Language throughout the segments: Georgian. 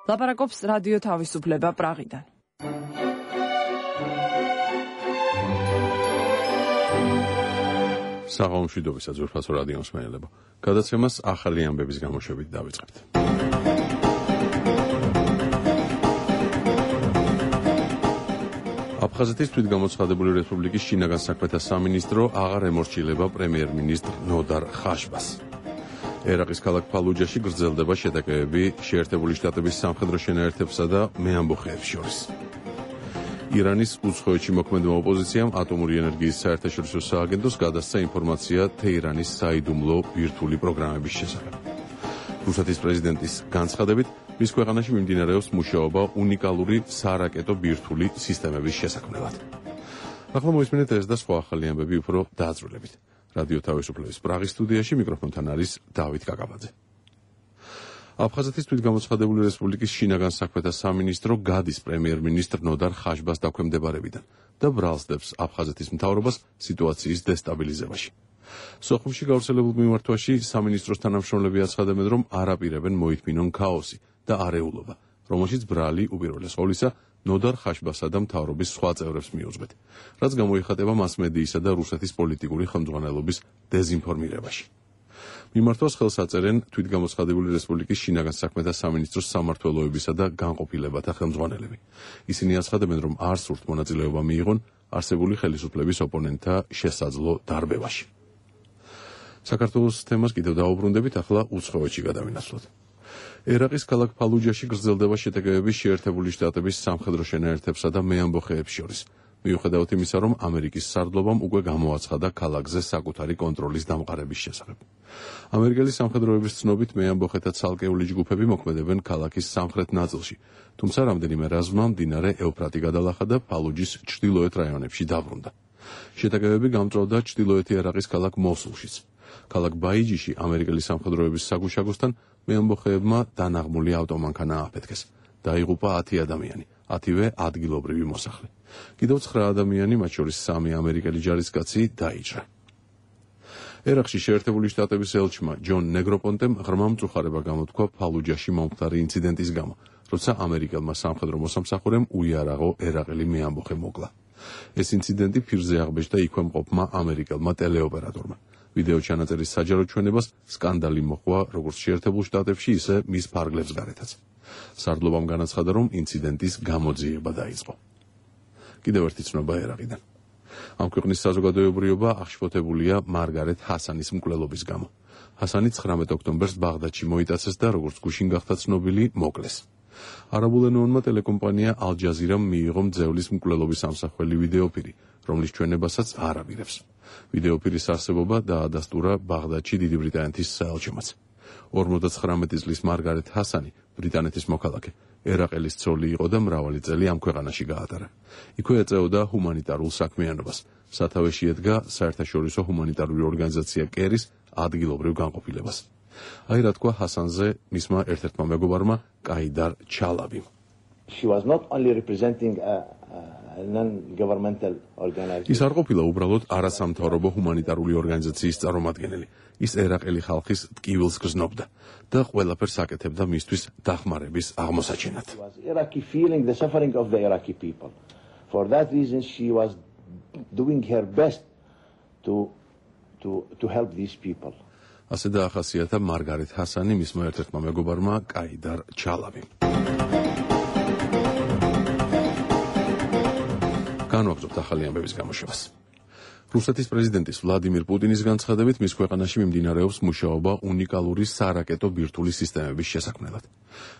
ლაპარაკობს რადიო თავისუფლება პრაღიდან. საღამომშვიდობისა ძვირფასო რადიო მსმენელებო. გადაცემას ახალი ამბების გამოშვებით დავიწყებთ. აფხაზეთის თვითგამოცხადებული რესპუბლიკის შინაგან საქმეთა სამინისტრო აღარ ემორჩილება პრემიერ-მინისტრ ნოდარ ხაშბას. ერაყის ქალაქ ფალუჯაში გრძელდება შეტაკებები შეერთებული შტატების სამხედრო შენაერთებსა და მეამბოხეებს შორის. ირანის უცხოეთში მოქმედმა ოპოზიციამ ატომური ენერგიის საერთაშორისო სააგენტოს გადასცა ინფორმაცია თეირანის საიდუმლო ბირთვული პროგრამების შესახებ. რუსეთის პრეზიდენტის განცხადებით, მის ქვეყანაში მიმდინარეობს მუშაობა უნიკალური სარაკეტო ბირთვული სისტემების შესაქმნელად. ახლა მოისმინეთ ეს და სხვა ახალი ამბები უფრო დაძრულებით. რადიო თავისუფლების პრაღის სტუდიაში მიკროფონთან არის დავით კაკაბაძე. აფხაზეთის თვითგამოცხადებული რესპუბლიკის შინაგან საქმეთა სამინისტრო გადის პრემიერ-მინისტრ ნოდარ ხაშბას დაქვემდებარებიდან და ბრალსდებს აფხაზეთის მთავრობას სიტუაციის დესტაბილიზებაში. სოხუმში გავრცელებულ მიმართვაში სამინისტროს თანამშრომლები აცხადებენ, რომ არ აპირებენ მოითმინონ ქაოსი და არეულობა, რომელშიც ბრალი უპირველეს ყოვლისა ნოდარ ხაშბასა და მთავრობის სხვა წევრებს მიუძღვეთ, რაც გამოიხატება მასმედიისა და რუსეთის პოლიტიკური ხელმძღვანელობის დეზინფორმირებაში. მიმართვას ხელს აწერენ თვითგამოცხადებული რესპუბლიკის შინაგან საქმეთა სამინისტროს სამმართველოებისა და განყოფილებათა ხელმძღვანელები. ისინი აცხადებენ, რომ არ სურთ მონაწილეობა მიიღონ არსებული ხელისუფლების ოპონენტთა შესაძლო დარბევაში. საქართველოს თემას კიდევ დაუბრუნდებით, ახლა უცხოეთში გადავინაცვლოთ. ერაყის ქალაქ ფალუჯაში გრძელდება შეტაკებები შეერთებული შტატების სამხედრო შენაერთებსა და მეამბოხეებს შორის. მიუხედავად იმისა, რომ ამერიკის სარდლობამ უკვე გამოაცხადა ქალაქზე საკუთარი კონტროლის დამყარების შესახებ. ამერიკელი სამხედროების ცნობით მეამბოხეთა ცალკეული ჯგუფები მოქმედებენ ქალაქის სამხრეთ ნაწილში, თუმცა რამდენიმე რაზმმა მდინარე ევფრატი გადალახა და ფალუჯის ჩრდილოეთ რაიონებში დაბრუნდა. შეტაკებები გამწვავდა ჩრდილოეთი ერაყის ქალაქ მოსულშიც. ქალაქ ბაიჯიში ამერიკელი სამხედროების საგუშაგოსთან მეამბოხეებმა დანაღმული ავტომანქანა ააფეთქეს. დაიღუპა 10 ადამიანი, 10-ვე ადგილობრივი მოსახლე. კიდევ 9 ადამიანი, მათ შორის 3 ამერიკელი ჯარისკაცი დაიჭრა. ერაყში შეერთებული შტატების ელჩმა ჯონ ნეგროპონტემ ღრმა მწუხარება გამოთქვა ფალუჯაში მომხდარი ინციდენტის გამო, როცა ამერიკელმა სამხედრო მოსამსახურემ უიარაღო ერაყელი მეამბოხე მოკლა. ეს ინციდენტი ფირზე აღბეჭდა იქვე მყოფმა ამერიკელმა ტელეოპერატორმა. ვიდეო ჩანაწერის საჯარო ჩვენებას სკანდალი მოჰყვა როგორც შეერთებულ შტატებში, ისე მის ფარგლებს გარეთაც. სარდლობამ განაცხადა, რომ ინციდენტის გამოძიება დაიწყო. კიდევ ერთი ცნობა ერაყიდან. ამ ქვეყნის საზოგადოებრიობა აღშფოთებულია მარგარეთ ჰასანის მკვლელობის გამო. ჰასანი 19 ოქტომბერს ბაღდადში მოიტაცეს და როგორც გუშინ გახდა ცნობილი, მოკლეს. არაბულენოვანმა ტელეკომპანია ალ-ჯაზირამ მიიღო მძევლის მკვლელობის ამსახველი ვიდეოფირი, რომლის ჩვენებასაც არ აპირებს. ვიდეოფირის არსებობა დაადასტურა ბაღდადში დიდი ბრიტანეთის საელჩომაც. 59 წლის მარგარეთ ჰასანი, ბრიტანეთის მოქალაქე, ერაყელის ცოლი იყო და მრავალი წელი ამ ქვეყანაში გაატარა. იქვე ეწეოდა ჰუმანიტარულ საქმიანობას. სათავეში ედგა საერთაშორისო ჰუმანიტარული ორგანიზაცია კერის ადგილობრივ განყოფილებას. აი რა თქვა ჰასანზე მისმა ერთ-ერთმა მეგობარმა კაიდარ ჩალაბიმ. She was not only representing a non-governmental organization. ის არ ყოფილა უბრალოდ არასამთავრობო ჰუმანიტარული ორგანიზაციის წარმომადგენელი. ის ერაყელი ხალხის ტკივილს გრძნობდა და ყველაფერს აკეთებდა მისთვის დახმარების აღმოსაჩენად. Iraqi feeling the suffering of the Iraqi people. For that reason she was doing her best to help these people. ასე დაახასიათა მარგარეთ ჰასანი მისმა ერთ-ერთმა მეგობარმა კაიდარ ჩალაბიმ. განვაგრძობთ ახალი ამბების გამოშვებას. რუსეთის პრეზიდენტის ვლადიმირ პუტინის განცხადებით, მის ქვეყანაში მიმდინარეობს მუშაობა უნიკალური სარაკეტო ბირთვული სისტემების შესაქმნელად.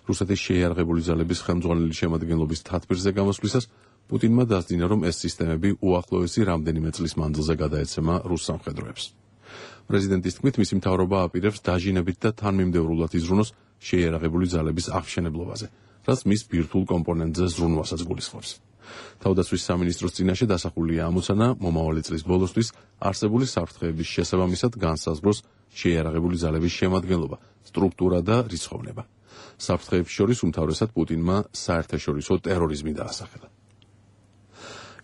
რუსეთის შეიარაღებული ძალების ხელმძღვანელი შემადგენლობის თათბირზე გამოსვლისას პუტინმა დასძინა, რომ ეს სისტემები უახლოესი რამდენიმე წლის მანძილზე გადაეცემა რუს სამხედროებს. პრეზიდენტის თქმით, მისი მთავრობა აპირებს დაჟინებით და თანმიმდევრულად იზრუნოს შეიარაღებული ძალების აღმშენებლობაზე, რაც მის ბირთვულ კომპონენტზე ზრუნვასაც გულისხმობს. თავდაცვის სამინისტროს წინაშე დასახულია ამოცანა მომავალი წლის ბოლოსთვის არსებული საფრთხეების შესაბამისად განსაზღვროს შეიარაღებული ძალების შემადგენლობა, სტრუქტურა და რიცხოვნება. საფრთხეებს შორის უმთავრესად პუტინმა საერთაშორისო ტერორიზმი დაასახელა.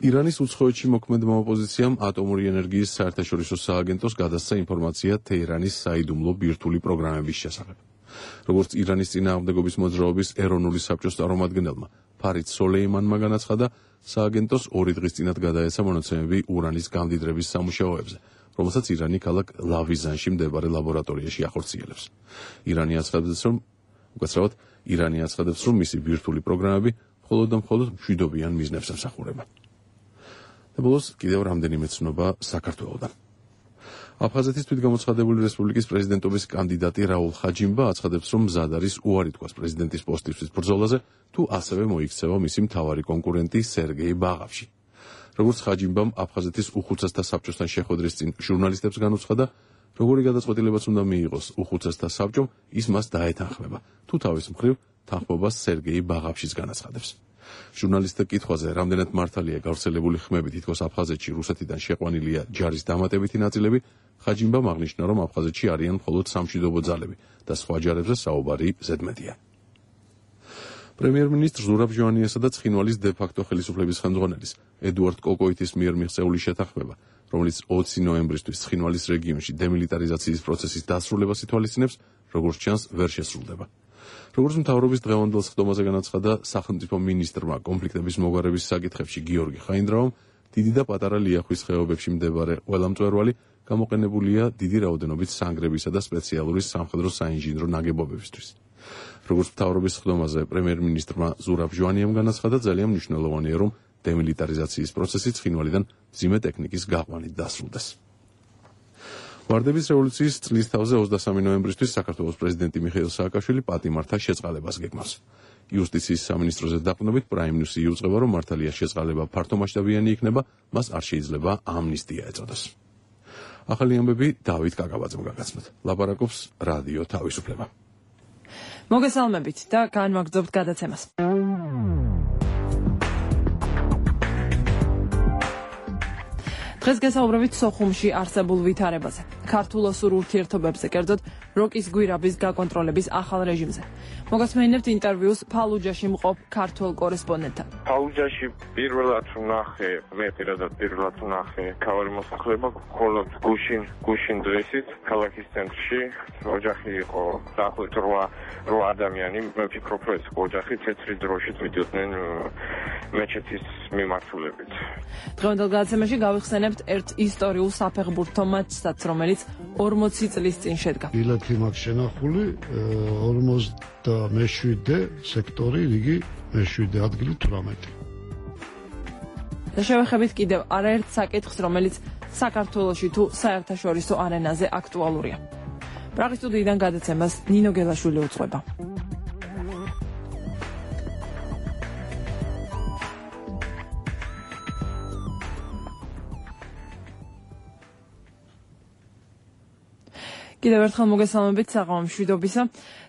ირანის უცხოეთში მოქმედმა ოპოზიციამ ატომური ენერგიის საერთაშორისო სააგენტოს გადასცა ინფორმაცია თეირანის საიდუმლო ბირთვული პროგრამების შესახებ. როგორც ირანის წინააღმდეგობის მოძრაობის ეროვნული საბჭოს წარმომადგენელმა ფარიდ სოლეიმანმა განაცხადა, სააგენტოს 2 დღის წინათ გადაეცა მონაცემები ურანის გამდიდრების სამუშაოებზე, რომელსაც ირანი ქალაქ ლავიზანში მდებარე ლაბორატორიაში ახორციელებს. ირანი აცხადებს, რომ მისი ბირთვული პროგრამები მხოლოდ და მხოლოდ მშვიდობიან მიზნებს ემსახურება. და ბოლოს კიდევ რამდენიმე ცნობა საქართველოდან. აფხაზეთის თვითგამოცხადებული რესპუბლიკის პრეზიდენტობის კანდიდატი რაულ ხაჯიმბა აცხადებს, რომ მზად არის უარი თქვას პრეზიდენტის პოსტისთვის ბრძოლაზე, თუ ასევე მოიქცევა მისი მთავარი კონკურენტი სერგეი ბაღავში. როგორც ხაჯიმბამ აფხაზეთის უხუცესთა საბჭოსთან შეხვედრის წინ ჟურნალისტებს განუცხადა, როგორი გადაწყვეტილებაც უნდა მიიღოს უხუცესთა საბჭომ, ის მას დაეთანხმება, თუ თავის მხრივ თანხმობას სერგეი ბაღავშის განაცხადებს. ჟურნალისტთა კითხვაზე, რამდენად მართალია გავრცელებული ხმები, თითქოს აფხაზეთში რუსეთიდან შეყვანილია ჯარის დამატებითი ნაწილები, ხაჯიმბამ აღნიშნა, რომ აფხაზეთში არიან მხოლოდ სამშვიდობო ძალები და სხვა ჯარებზე საუბარი ზედმეტია. პრემიერ-მინისტრ ზურაბ ჟვანიასა და ცხინვალის დე-ფაქტო ხელისუფლების ხელმძღვანელის ედუარდ კოკოიტის მიერ მიღწეული შეთანხმება, რომელიც 20 ნოემბრისთვის ცხინვალის რეგიონში დემილიტარიზაციის პროცესის დასრულებას ითვალისწინებს, როგორც ჩანს, ვერ შესრულდება. როგორც მთავრობის დღევანდელ სხდომაზე განაცხადა სახელმწიფო მინისტრმა კონფლიქტების მოგვარების საკითხებში გიორგი ხაინდრავამ, დიდი და პატარა ლიახვის ხეობებში მდებარე ყველა მწვერვალი გამოყენებულია დიდი რაოდენობით სანგრებისა და სპეციალური სამხედრო საინჟინრო ნაგებობებისთვის. როგორც მთავრობის სხდომაზე პრემიერ-მინისტრმა ზურაბ ჟვანიამ განაცხადა, ძალიან მნიშვნელოვანია, რომ დემილიტარიზაციის პროცესი ცხინვალიდან მძიმე ტექნიკის გაყვანით დასრულდეს. ვარდების რევოლუციის წლის თავზე 23 ნოემბრისთვის საქართველოს პრეზიდენტი მიხეილ სააკაშვილი პატიმართა შეწყალებას გეგმავს. იუსტიციის სამინისტროზე დაყრდნობით პრაიმ ნიუსი იუწყება, რომ მართალია შეწყალება ფართომასშტაბიანი იქნება, მას არ შეიძლება ამნისტია ეწოდოს. ახალი ამბები დავით კაკაბაძემ გაგაცნოთ. ლაპარაკობს რადიო თავისუფლება. მოგესალმებით და განვაგრძობთ გადაცემას. დღეს გესაუბრებით სოხუმში არსებულ ვითარებაზე, ქართულ-ოსურ ურთიერთობებზე, კერძოდ როკის გვირაბის გაკონტროლების ახალ რეჟიმზე. მოგესმენინებთ ინტერვიუს ფალუჯაში მყოფ ქართველ კორესპონდენტთან. ფალუჯაში პირველად ვნახე, მე პირადად პირველად ვნახე ქავარი მოსახლეობა, მხოლოდ გუშინ დღესით ქალაქის ცენტრში ოჯახი იყო დაახლოებით 8 ადამიანი, მე ვფიქრობ, რომ ეს ოჯახი თეთრი დროშით მიდიოდნენ მეჩეთის მიმართულებით. დღევანდელ გადაცემაში გავიხსენებთ ერთ ისტორიულ საფეხბურთო მატჩსაც, რომელიც 40 წლის წინ შედგა. ბილეთი მაქვს შენახული 47 სექტორი, რიგი მე-7 ადგილი 18. და შევეხებით კიდევ არაერთ საკითხს, რომელიც საქართველოში თუ საერთაშორისო არენაზე აქტუალურია. პრაღის სტუდიიდან გადაცემას ნინო გელაშვილი უძღვება. კიდევ ერთხელ მოგესალმებით საღამო მშვიდობისა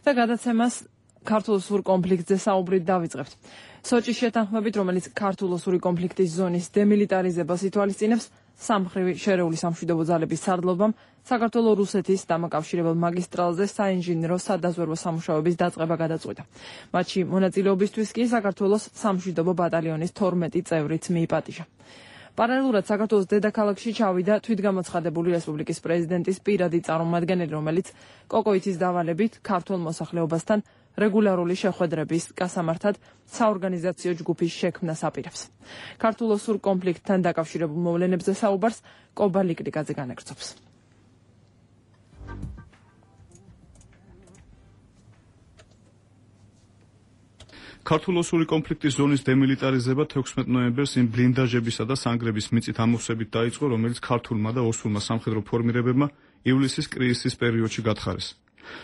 და გადაცემას ქართულ-ოსურ კონფლიქტზე საუბრით დავიწყებთ. სოჭის შეთანხმებით, რომელიც ქართულ-ოსური კონფლიქტის ზონის დემილიტარიზებას ითვალისწინებს, სამხრივი შერეული სამშვიდობო ძალების სარდლობამ საქართველო-რუსეთის დამაკავშირებელ მაგისტრალზე საინჟინრო სადაზვერვო სამუშაოების დაწყება გადაწყვიტა. მათში მონაწილეობისთვის კი საქართველოს სამშვიდობო ბატალიონის 12 წევრიც მიიპატიჟა. პარალელურად საქართველოს დედაქალაქში ჩავიდა თვითგამოცხადებული რესპუბლიკის პრეზიდენტის პირადი წარმომადგენელი, რომელიც კოკოიტის დავალებით ქართულ მოსახლეობასთან რეგულარული შეხვედრების გასამართად საორგანიზაციო ჯგუფის შექმნას აპირებს. ქართულ-ოსურ კონფლიქტთან დაკავშირებულ მოვლენებზე საუბარს კობა ლიკრიკაძე განაგრძობს. ქართულ-ოსური კონფლიქტის ზონის დემილიტარიზება 16 ნოემბერს იმ ბლინდაჟებისა და სანგრების მიწით ამოვსებით დაიწყო, რომელიც ქართულმა და ოსურმა სამხედრო ფორმირებებმა ივლისის კრიზისის პერიოდში გათხარეს.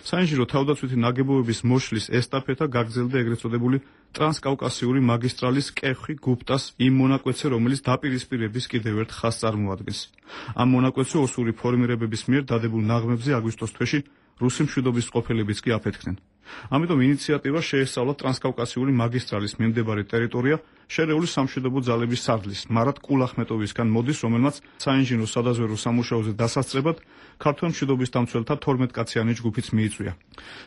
საინჟინრო თავდაცვითი ნაგებობების მოშლის ესტაფეტა გაგრძელდა ეგრეთ წოდებული ტრანსკავკასიური მაგისტრალის კეხი გუპტას იმ მონაკვეთზე, რომელიც დაპირისპირების კიდევ ერთ ხაზს წარმოადგენს. ამ მონაკვეთზე ოსური ფორმირებების მიერ დადებულ ნაღმებზე აგვისტოს თვეში რუსი მშვიდობის ყოფილებიც კი აფეთქდნენ. ამიტომ ინიციატივა შეესწავლა ტრანსკავკასიური მაგისტრალის მიმდებარე ტერიტორია შერეული სამშვიდობო ძალების სარდლის მარად კულახმეტოვისგან მოდის, რომელმაც საინჟინრო სადაზვერვო სამუშაოზე დასასწრებად ქართველ მშვიდობის დამცველთა 12 კაციანი ჯგუფიც მიიწვია.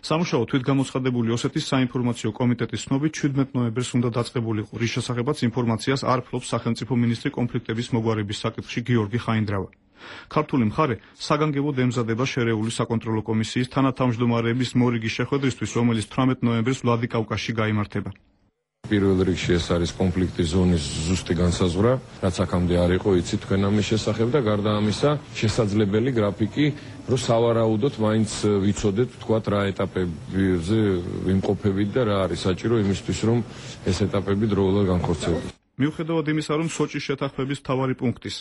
სამუშაო თვითგამოცხადებული ოსეთის საინფორმაციო კომიტეტის ცნობით 17 ნოემბერს უნდა დაწყებულიყო, რის შესახებაც ინფორმაციას არ ფლობს სახელმწიფო მინისტრი კონფლიქტების მოგვარების საკითხში გიორგი ხაინდრავა. ქართული მხარე საგანგებოდ ემზადება შერეული საკონტროლო კომისიის თანათავმჯდომარეების მორიგის შეხვედრისთვის, რომელიც 18 ნოემბერს ვლადიკავკაზში გაიმართება. პირველ რიგში ეს არის კონფლიქტის ზონის ზუსტი განსაზღვრა, რაც აქამდე არ იყო, იცით თქვენ ამის შესახებ და გარდა ამისა, შესაძლებელი გრაფიკი, რომ სავარაუდოდ მაინც ვიცოდეთ, თქვათ რა ეტაპებზე ვიმყოფებით და რა არის საჭირო იმისთვის, რომ ეს ეტაპები დროულად განხორციელდეს. მიუხედავად იმისა, რომ სოჭის შეთანხმების მთავარი პუნქტის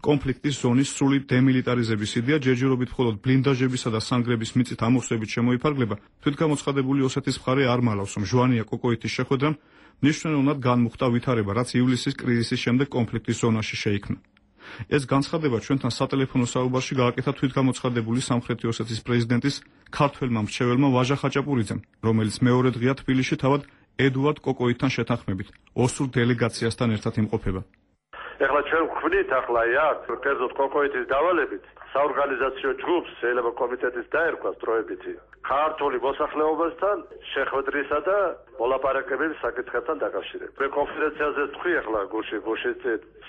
კონფლიქტის ზონის სრული დემილიტარიზების იდეა ჯერჯერობით მხოლოდ ბლინდაჟებისა და სანგრების მიწით ამოვსებით შემოიფარგლება, თვითგამოცხადებული ოსეთის მხარე არ მალავს, რომ ჟვანია კოკოითის შეხვედრამ მნიშვნელოვნად განმუხტა ვითარება, რაც ივლისის კრიზისის შემდეგ კონფლიქტის ზონაში შეიქმნა. ეს განცხადება ჩვენთან სატელეფონო საუბარში გააკეთა თვითგამოცხადებული სამხრეთი ოსეთის პრეზიდენტის ქართველმა მრჩეველმა ვაჟა ხაჭაპურიძემ, რომელიც მეორე დღეა თბილისში თავად ედუარდ კოკოითთან შეთანხმებით ოსურ დელეგაციასთან ერთად იმყოფება. ეხლა ჩვენ გვხვდით ახლა აქ კერძოდ კოკოითის დავალებით საორგანიზაციო ჯგუფს შეიძლება კომიტეტის დაერქვას დროებითი ქართული მოსახლეობასთან შეხვედრისა და მოლაპარაკებების საკითხებთან დაკავშირებით. მე კონფერენციაზე თქვი ახლა გუშინ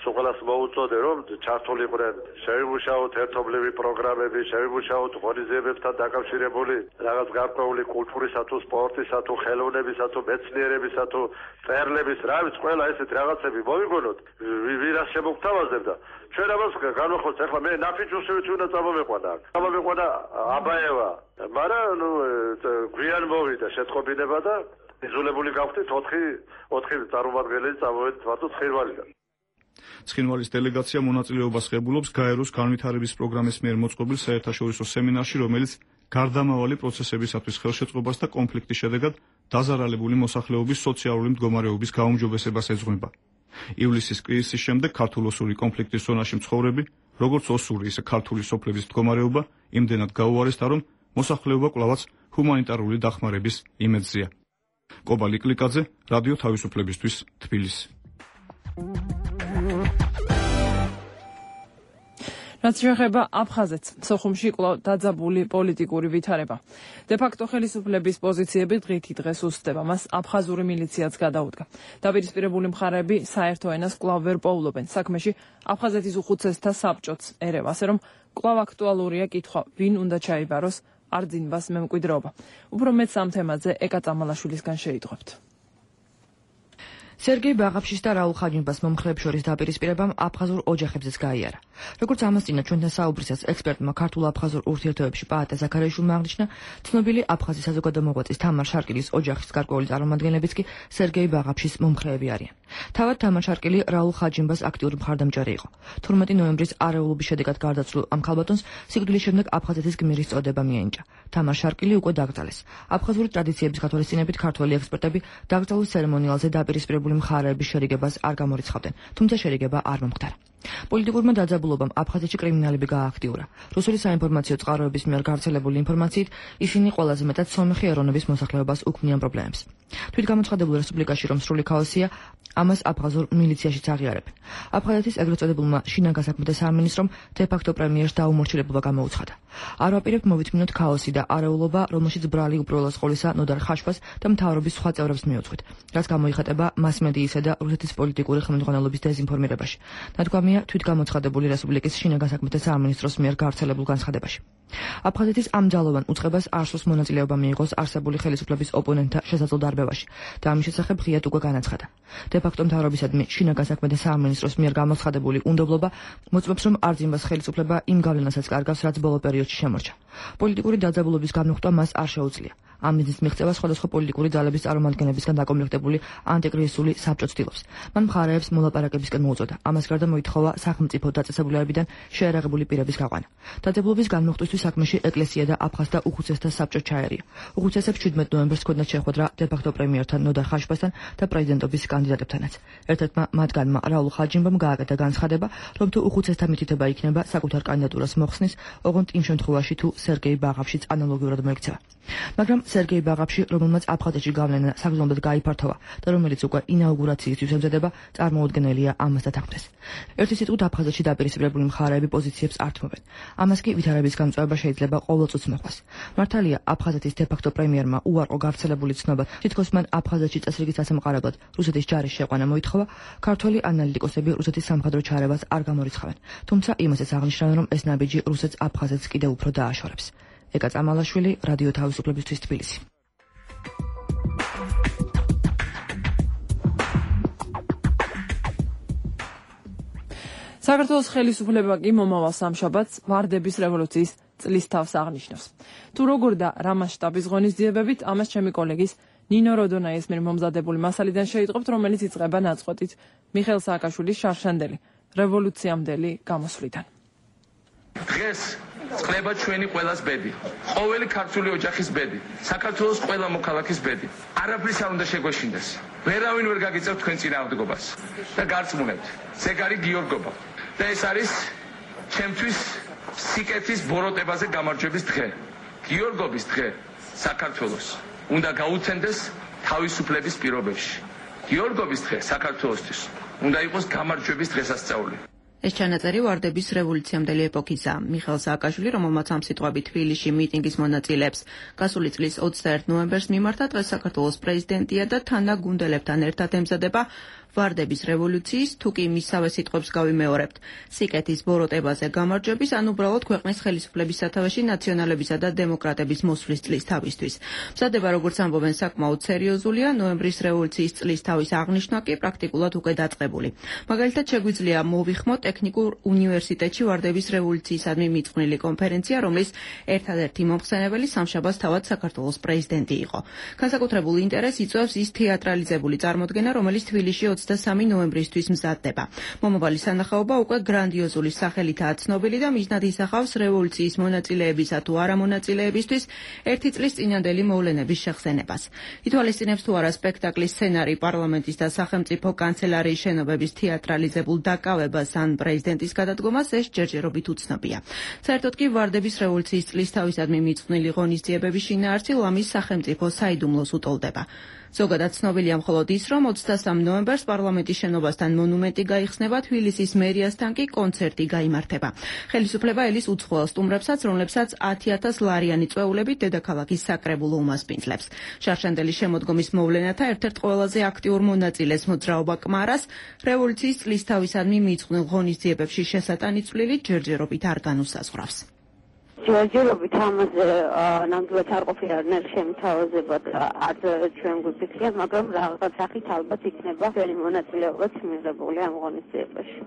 სულ მოუწოდე რომ ჩართულიყვნენ შევიმუშაოთ ერთობლივი პროგრამები, შევიმუშაოთ ღონისძიებებთან დაკავშირებული რაღაც გარკვეული კულტურისა თუ სპორტისა თუ ხელოვნებისა თუ მეცნიერებისა თუ წერლების რა ვიცი ყველა ესეთ რაღაცები მოვიგონოთ ვირას შემოგთავაზებდა. ჩვენ ამას განვახოთ ახლა მე ნაფიჩუსივით უნდა წამომეყვანა აქ. წამომეყვანა აბაევა. მაგრამ გვიან მოვიდა შეტყობინება და იზოლებული გავხდით 4 წარმომადგენელი წამოვედით მარტო ცხინვალიდან. ცხინვალის დელეგაცია მონაწილეობას ღებულობს გაეროს განვითარების პროგრამის მიერ მოწყობილ საერთაშორისო სემინარში, რომელიც გარდამავალი პროცესებისათვის ხელშეწყობას და კონფლიქტის შედეგად დაზარალებული მოსახლეობის სოციალური მდგომარეობის გაუმჯობესებას ეძღვნება. ივლისის კრიზისის შემდეგ ქართულ-ოსური კონფლიქტის ზონაში მცხოვრები, როგორც ოსური, ისე ქართული სოფლების მდგომარეობა იმდენად გაუარესდა, რომ მოსახლეობა კვლავაც ჰუმანიტარული დახმარების იმედზეა. კობა ლიკლიკაძე, რადიო თავისუფლებისთვის, თბილისი. რაც შეეხება აფხაზეთს, სოხუმში კვლავ დაძაბული პოლიტიკური ვითარება. დე-ფაქტო ხელისუფლების პოზიციები დღითი დღეს უსწრდება, მას აფხაზური მილიციაც გადაუდგა. დაპირისპირებული მხარეები საერთო ენას კვლავ ვერ პოულობენ. საქმეში აფხაზეთის უხუცესთა საბჭოც ერევა, ასე რომ კვლავ აქტუალურია კითხვა, ვინ უნდა ჩაიბაროს არძინბას მემკვიდრეობა. უფრო მეტ ამ თემაზე ეკა წამალაშვილისგან შეიტყვებთ. სერგეი ბაღაფშის და რაულ ხაჯინბას მომხრეებს შორის დაპირისპირებამ აფხაზურ ოჯახებზეც გაიარა. როგორც ამასწინა ჩვენთან საუბრისას ექსპერტმა ქართულ-აფხაზურ ურთიერთობებში პაატე ზაქარიაშვილმა აღნიშნა, ცნობილი აფხაზი საზოგადო მოღვაწის თამარ შარკილის ოჯახის გარკვეული წარმომადგენლებიც კი სერგეი ბაღაფშის მომხრეები არიან. თავად თამარ შარკილი რაულ ხაჯინბას აქტიური მხარდამჭერი იყო. 12 ნოემბრის არეულობის შედეგად გარდაცვლილ ამ ქალბატონს სიკვდილის შემდეგ აფხაზეთის გმირის წოდება მიენიჭა. თამარ შარკილი უკვე დაკრძალეს. აფხაზური ტრადიციების გათვალისწინებით ქართველი ექსპერტები დაკრძალვის ცერემონიალზე დაპირისპირებული მხარეების შერიგებას არ გამორიცხავდნენ, თუმცა შერიგება არ მომხდარა. პოლიტიკურმა დაძაბულობამ აფხაზეთში კრიმინალები გაააქტიურა. რუსული საინფორმაციო წყაროების მიერ გავრცელებული ინფორმაციით ისინი ყველაზე მეტად სომეხი ეროვნების მოსახლეობას უქმნიან პრობლემებს. თვითგამოცხადებულ რესპუბლიკაში რომ სრული ქაოსია, ამას აფხაზურ მილიციაშიც აღიარებენ. აფხაზეთის ეგრეთ წოდებულმა შინაგან საქმეთა სამინისტრომ დე-ფაქტო პრემიერს დაუმორჩილებლობა გამოუცხადა. არ ვაპირებთ მოვითმინოთ ქაოსი და არეულობა, რომელშიც ბრალი უპირველეს ყოვლისა ნოდარ ხაშბას და მთავრობის სხვა წევრებს მიუძღვით, რაც გამოიხატება მასმედიისა და რუსეთის პოლიტიკური ხელმძღვანელობის დეზინფორმირებაში. ნათქვამია თვითგამოცხადებული რესპუბლიკის შინაგან საქმეთა სამინისტროს მიერ გავრცელებულ განცხადებაში. აფხაზეთის ამ ძალოვან უწყებას არ სურს მონაწილეობა მიიღოს არსებული ხელისუფლების ოპონენტთა შესაძლო დარბევაში და ამის შესახებ ღიად უკვე განაცხადა. დე-ფაქტო მთავრობისადმი შინაგან საქმეთა სამინისტროს მიერ გამოცხადებული უნდობლობა მოწმობს, რომ არძინბას ხელისუფლება იმ გავლენასაც კარგავს, რაც ბოლო პერიოდში შემორჩა. პოლიტიკური დაძაბულობის გამოხატვა მას არ შეუძლია. ამ მიზნის მიღწევა სხვადასხვა პოლიტიკური ძალების წარმომადგენლებისგან დაკომპლექტებული ანტიკრიზისული საბჭო ცდილობს. მან მხარეებს მოლაპარაკებისკენ მოუწოდა. ამას გარდა მოითხოვა სახელმწიფო დაწესებულებებიდან შეერაღებული პირების გაყვანა. დაძაბულობის განმოხტვისთვის საქმეში ეკლესია და აფხაზთა უხუცესთა საბჭო ჩაერია. უხუცესებს 17 ნოემბერს ჰქონდათ შეხვედრა დე-ფაქტო პრემიერთან ნოდარ ხაშბასთან და პრეზიდენტობის კანდიდატებთანაც. ერთ-ერთმა მათგანმა რაულ ხაჯინბამ გააკეთა განცხადება, რომ თუ უხუცესთა მითითება იქნება საკუთარ კანდიდატურას მოხსნის, ოღონდ იმ შემთხვევაში თუ სერგეი ბაღაფშიც ანალოგიურად მოექცევა. მაგრამ სერგეი ბაღაფში, რომელმაც აფხაზეთში გავლენა საგრძნობლად გაიფართოვა და რომელიც უკვე ინაუგურაციისთვის ემზადება, წარმოუდგენელია ამას დათანხმდეს. ერთი სიტყვით აფხაზეთში დაპირისპირებული მხარეები პოზიციებს ართმობენ. ამას კი ვითარების გამწვევა შეიძლება ყოველწუთს მოყვას. მართალია, აფხაზეთის დე-ფაქტო პრემიერმა უარყო გავრცელებული ცნობა, თითქოს მან აფხაზეთში წესრიგის დასამყარებლად რუსეთის ჯარის შეყვანა მოითხოვა, ქართველი ანალიტიკოსები რუსეთის სამხედრო ჩარევას არ გამორიცხავენ. თუმცა იმასაც აღნიშნავენ, რომ ეს ნაბიჯი რუსეთს აფხაზეთს კიდევ უფრო დააშორებს. ეკა წამალაშვილი, რადიო თავისუფლებისთვის თბილისი. საქართველოს ხელისუფლება კი მომავალ სამშაბათს ვარდების რევოლუციის წლის თავს აღნიშნავს. თუ როგორ და რა მასშტაბის ღონისძიებებით, ამას ჩემი კოლეგის ნინო როდონაის მიერ მომზადებული მასალიდან შეიტყობთ, რომელიც იწყება ნაწყვეტით მიხეილ სააკაშვილის შარშანდელი რევოლუციამდელი გამოსვლიდან. დღეს წყლება ჩვენი ყველას ბედი, ყოველი ქართული ოჯახის ბედი, საქართველოს ყველა მოქალაქის ბედი. არაფრის არ უნდა შეგვეშინდეს. ვერავინ ვერ გაგიწევთ თქვენ წინააღმდეგობას და გარწმუნებთ, ზეგარი გიორგობა. და ეს არის ჩემთვის სიკეთის ბოროტებაზე გამარჯვების დღე. გიორგობის დღე საქართველოს უნდა გაუცენდეს თავისუფლების პირობებში. გიორგობის დღე საქართველოსთვის უნდა იყოს გამარჯვების დღესასწაული. ეს ჩანაწერი ვარდების რევოლუციამდელი ეპოქისაა. მიხეილ სააკაშვილი, რომელმაც ამ სიტყვებით თბილისში მიტინგის მონაწილეებს გასული წლის 21 ნოემბერს მიმართა, დღეს საქართველოს პრეზიდენტია და თანაგუნდელებთან ერთად ემზადება ვარდების რევოლუციის, თუ კი მისავე სიტყვებს გავიმეორებთ, სიკეთის ბოროტებაზე გამარჯვების, ან უბრალოდ ქვეყნის ხელისუფლების სათავეში ნაციონალებისა და დემოკრატების მოსვლის წლის თავისთვის. მზადება, როგორც ამბობენ, საკმაოდ სერიოზულია, ნოემბრის რევოლუციის წლის თავის აღნიშვნა კი პრაქტიკულად უკვე დაწყებული. მაგალითად, შეგვიძლია მოვიხმოთ ტექნიკურ უნივერსიტეტში ვარდების რევოლუციისადმი მიწყვნილი კონფერენცია, რომლის ერთადერთი მომხსენებელი სამშაბათს თავად საქართველოს პრეზიდენტი იყო. განსაკუთრებულ ინტერესს იწვევს ის თეატრალიზებული წარმოდგენა, რომელიც თბილისში 23 ნოემბრისთვის მზადდება. მომავალი სანახაობა უკვე გრანდიოზული სახელითაა ცნობილი და მიზნად ისახავს რევოლუციის მონაწილეებისა თუ არა მონაწილეებისთვის ერთი წლის წინანდელი მოვლენების შეხსენებას. ითვალისწინებს თუ არა სპექტაკლის სცენარი პარლამენტის და სახელმწიფო კანცელარიის შენობების თეატრალიზებულ დაკავებას ან პრეზიდენტის გადადგომას, ეს ჯერჯერობით უცნობია. საერთოდ კი ვარდების რევოლუციის წლის თავისადმი მიწყვნილი ღონისძიებების შინაარსი ლამის სახელმწიფო საიდუმლოს უტოლდება. ზოგადად ცნობილია მხოლოდ ის, რომ 23 ნოემბერს პარლამენტის შენობასთან მონუმენტი გაიხსნება, თბილისის მერიასთან კი კონცერტი გაიმართება. ხელისუფლება ელის უცხოელ სტუმრებსაც, რომლებსაც 10,000 ლარიანი წვეულებით დედაქალაქის საკრებულო უმასპინძლებს. შარშანდელის შემოდგომის მოვლენათა ერთ-ერთ ყველაზე აქტიურ მონაწილეს მოძრაობა კმარას რევოლუციის წლის თავისადმი მიწყვნილ ღონისძიებებში შესატანი წვლილი ჯერჯერობით არ განუსაზღვრავს. ჯერჯერობით ამაზე ნამდვილად არ ყოფილა შემთავაზებად არც ჩვენ გვიფიქრია, მაგრამ რაღაც სახით ალბათ იქნება ძველი მონაწილეობაც მიღებული ამ ღონისძიებაში.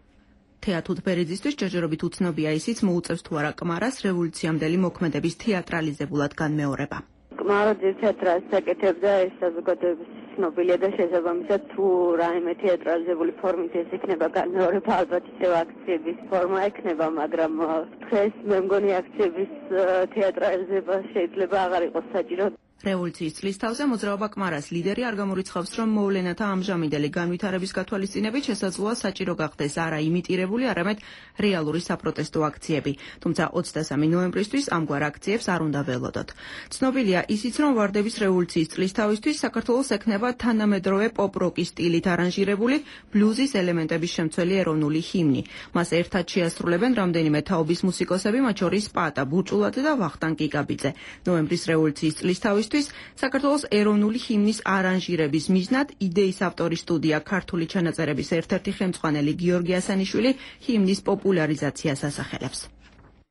თეა თუთბერიძისთვის ჯერჯერობით უცნობია ისიც, მოუწევს თუ არა კმარას რევოლუციამდელი მოქმედების თეატრალიზებულად განმეორება. კმარა თეატრალს აკეთებდა ეს საზოგადოების ცნობილია და შესაბამისად თუ რაიმე თეატრალიზებული ფორმით ეს იქნება განმეორება, ალბათ ისევ აქციების ფორმა ექნება, მაგრამ დღეს მე მგონი აქციების თეატრალიზება შეიძლება აღარ იყოს საჭირო. რევოლუციის წლის თავზე მოძრაობა კმარას ლიდერი არ გამორიცხავს, რომ მოვლენათა ამჟამინდელი განვითარების გათვალისწინებით შესაძლოა საჭირო გახდეს არა იმიტირებული, არამედ რეალური საპროტესტო აქციები. თუმცა 23 ნოემბრისთვის ამგვარ აქციებს არ უნდა ველოდოთ. ცნობილია ისიც, რომ ვარდების რევოლუციის წლის თავისთვის საქართველოს ექნება თანამედროვე პოპ-როკის სტილით არანჟირებული ბლუზის ელემენტების შემცველი ეროვნული ჰიმნი. მას ერთად შეასრულებენ რამდენიმე თაობის მუსიკოსები, მათ შორის პატა ბურჭულაძე და ვახტანგ კიკაბიძე. ნოემბრის რევოლუციის წლის თავისთვის საქართველოს ეროვნული ჰიმნის არანჟირების მიზნად იდეის ავტორის სტუდია ქართული ჩანაწერების ერთ-ერთი ხელმძღვანელი გიორგი ასანიშვილი ჰიმნის პოპულარიზაციას ასახელებს.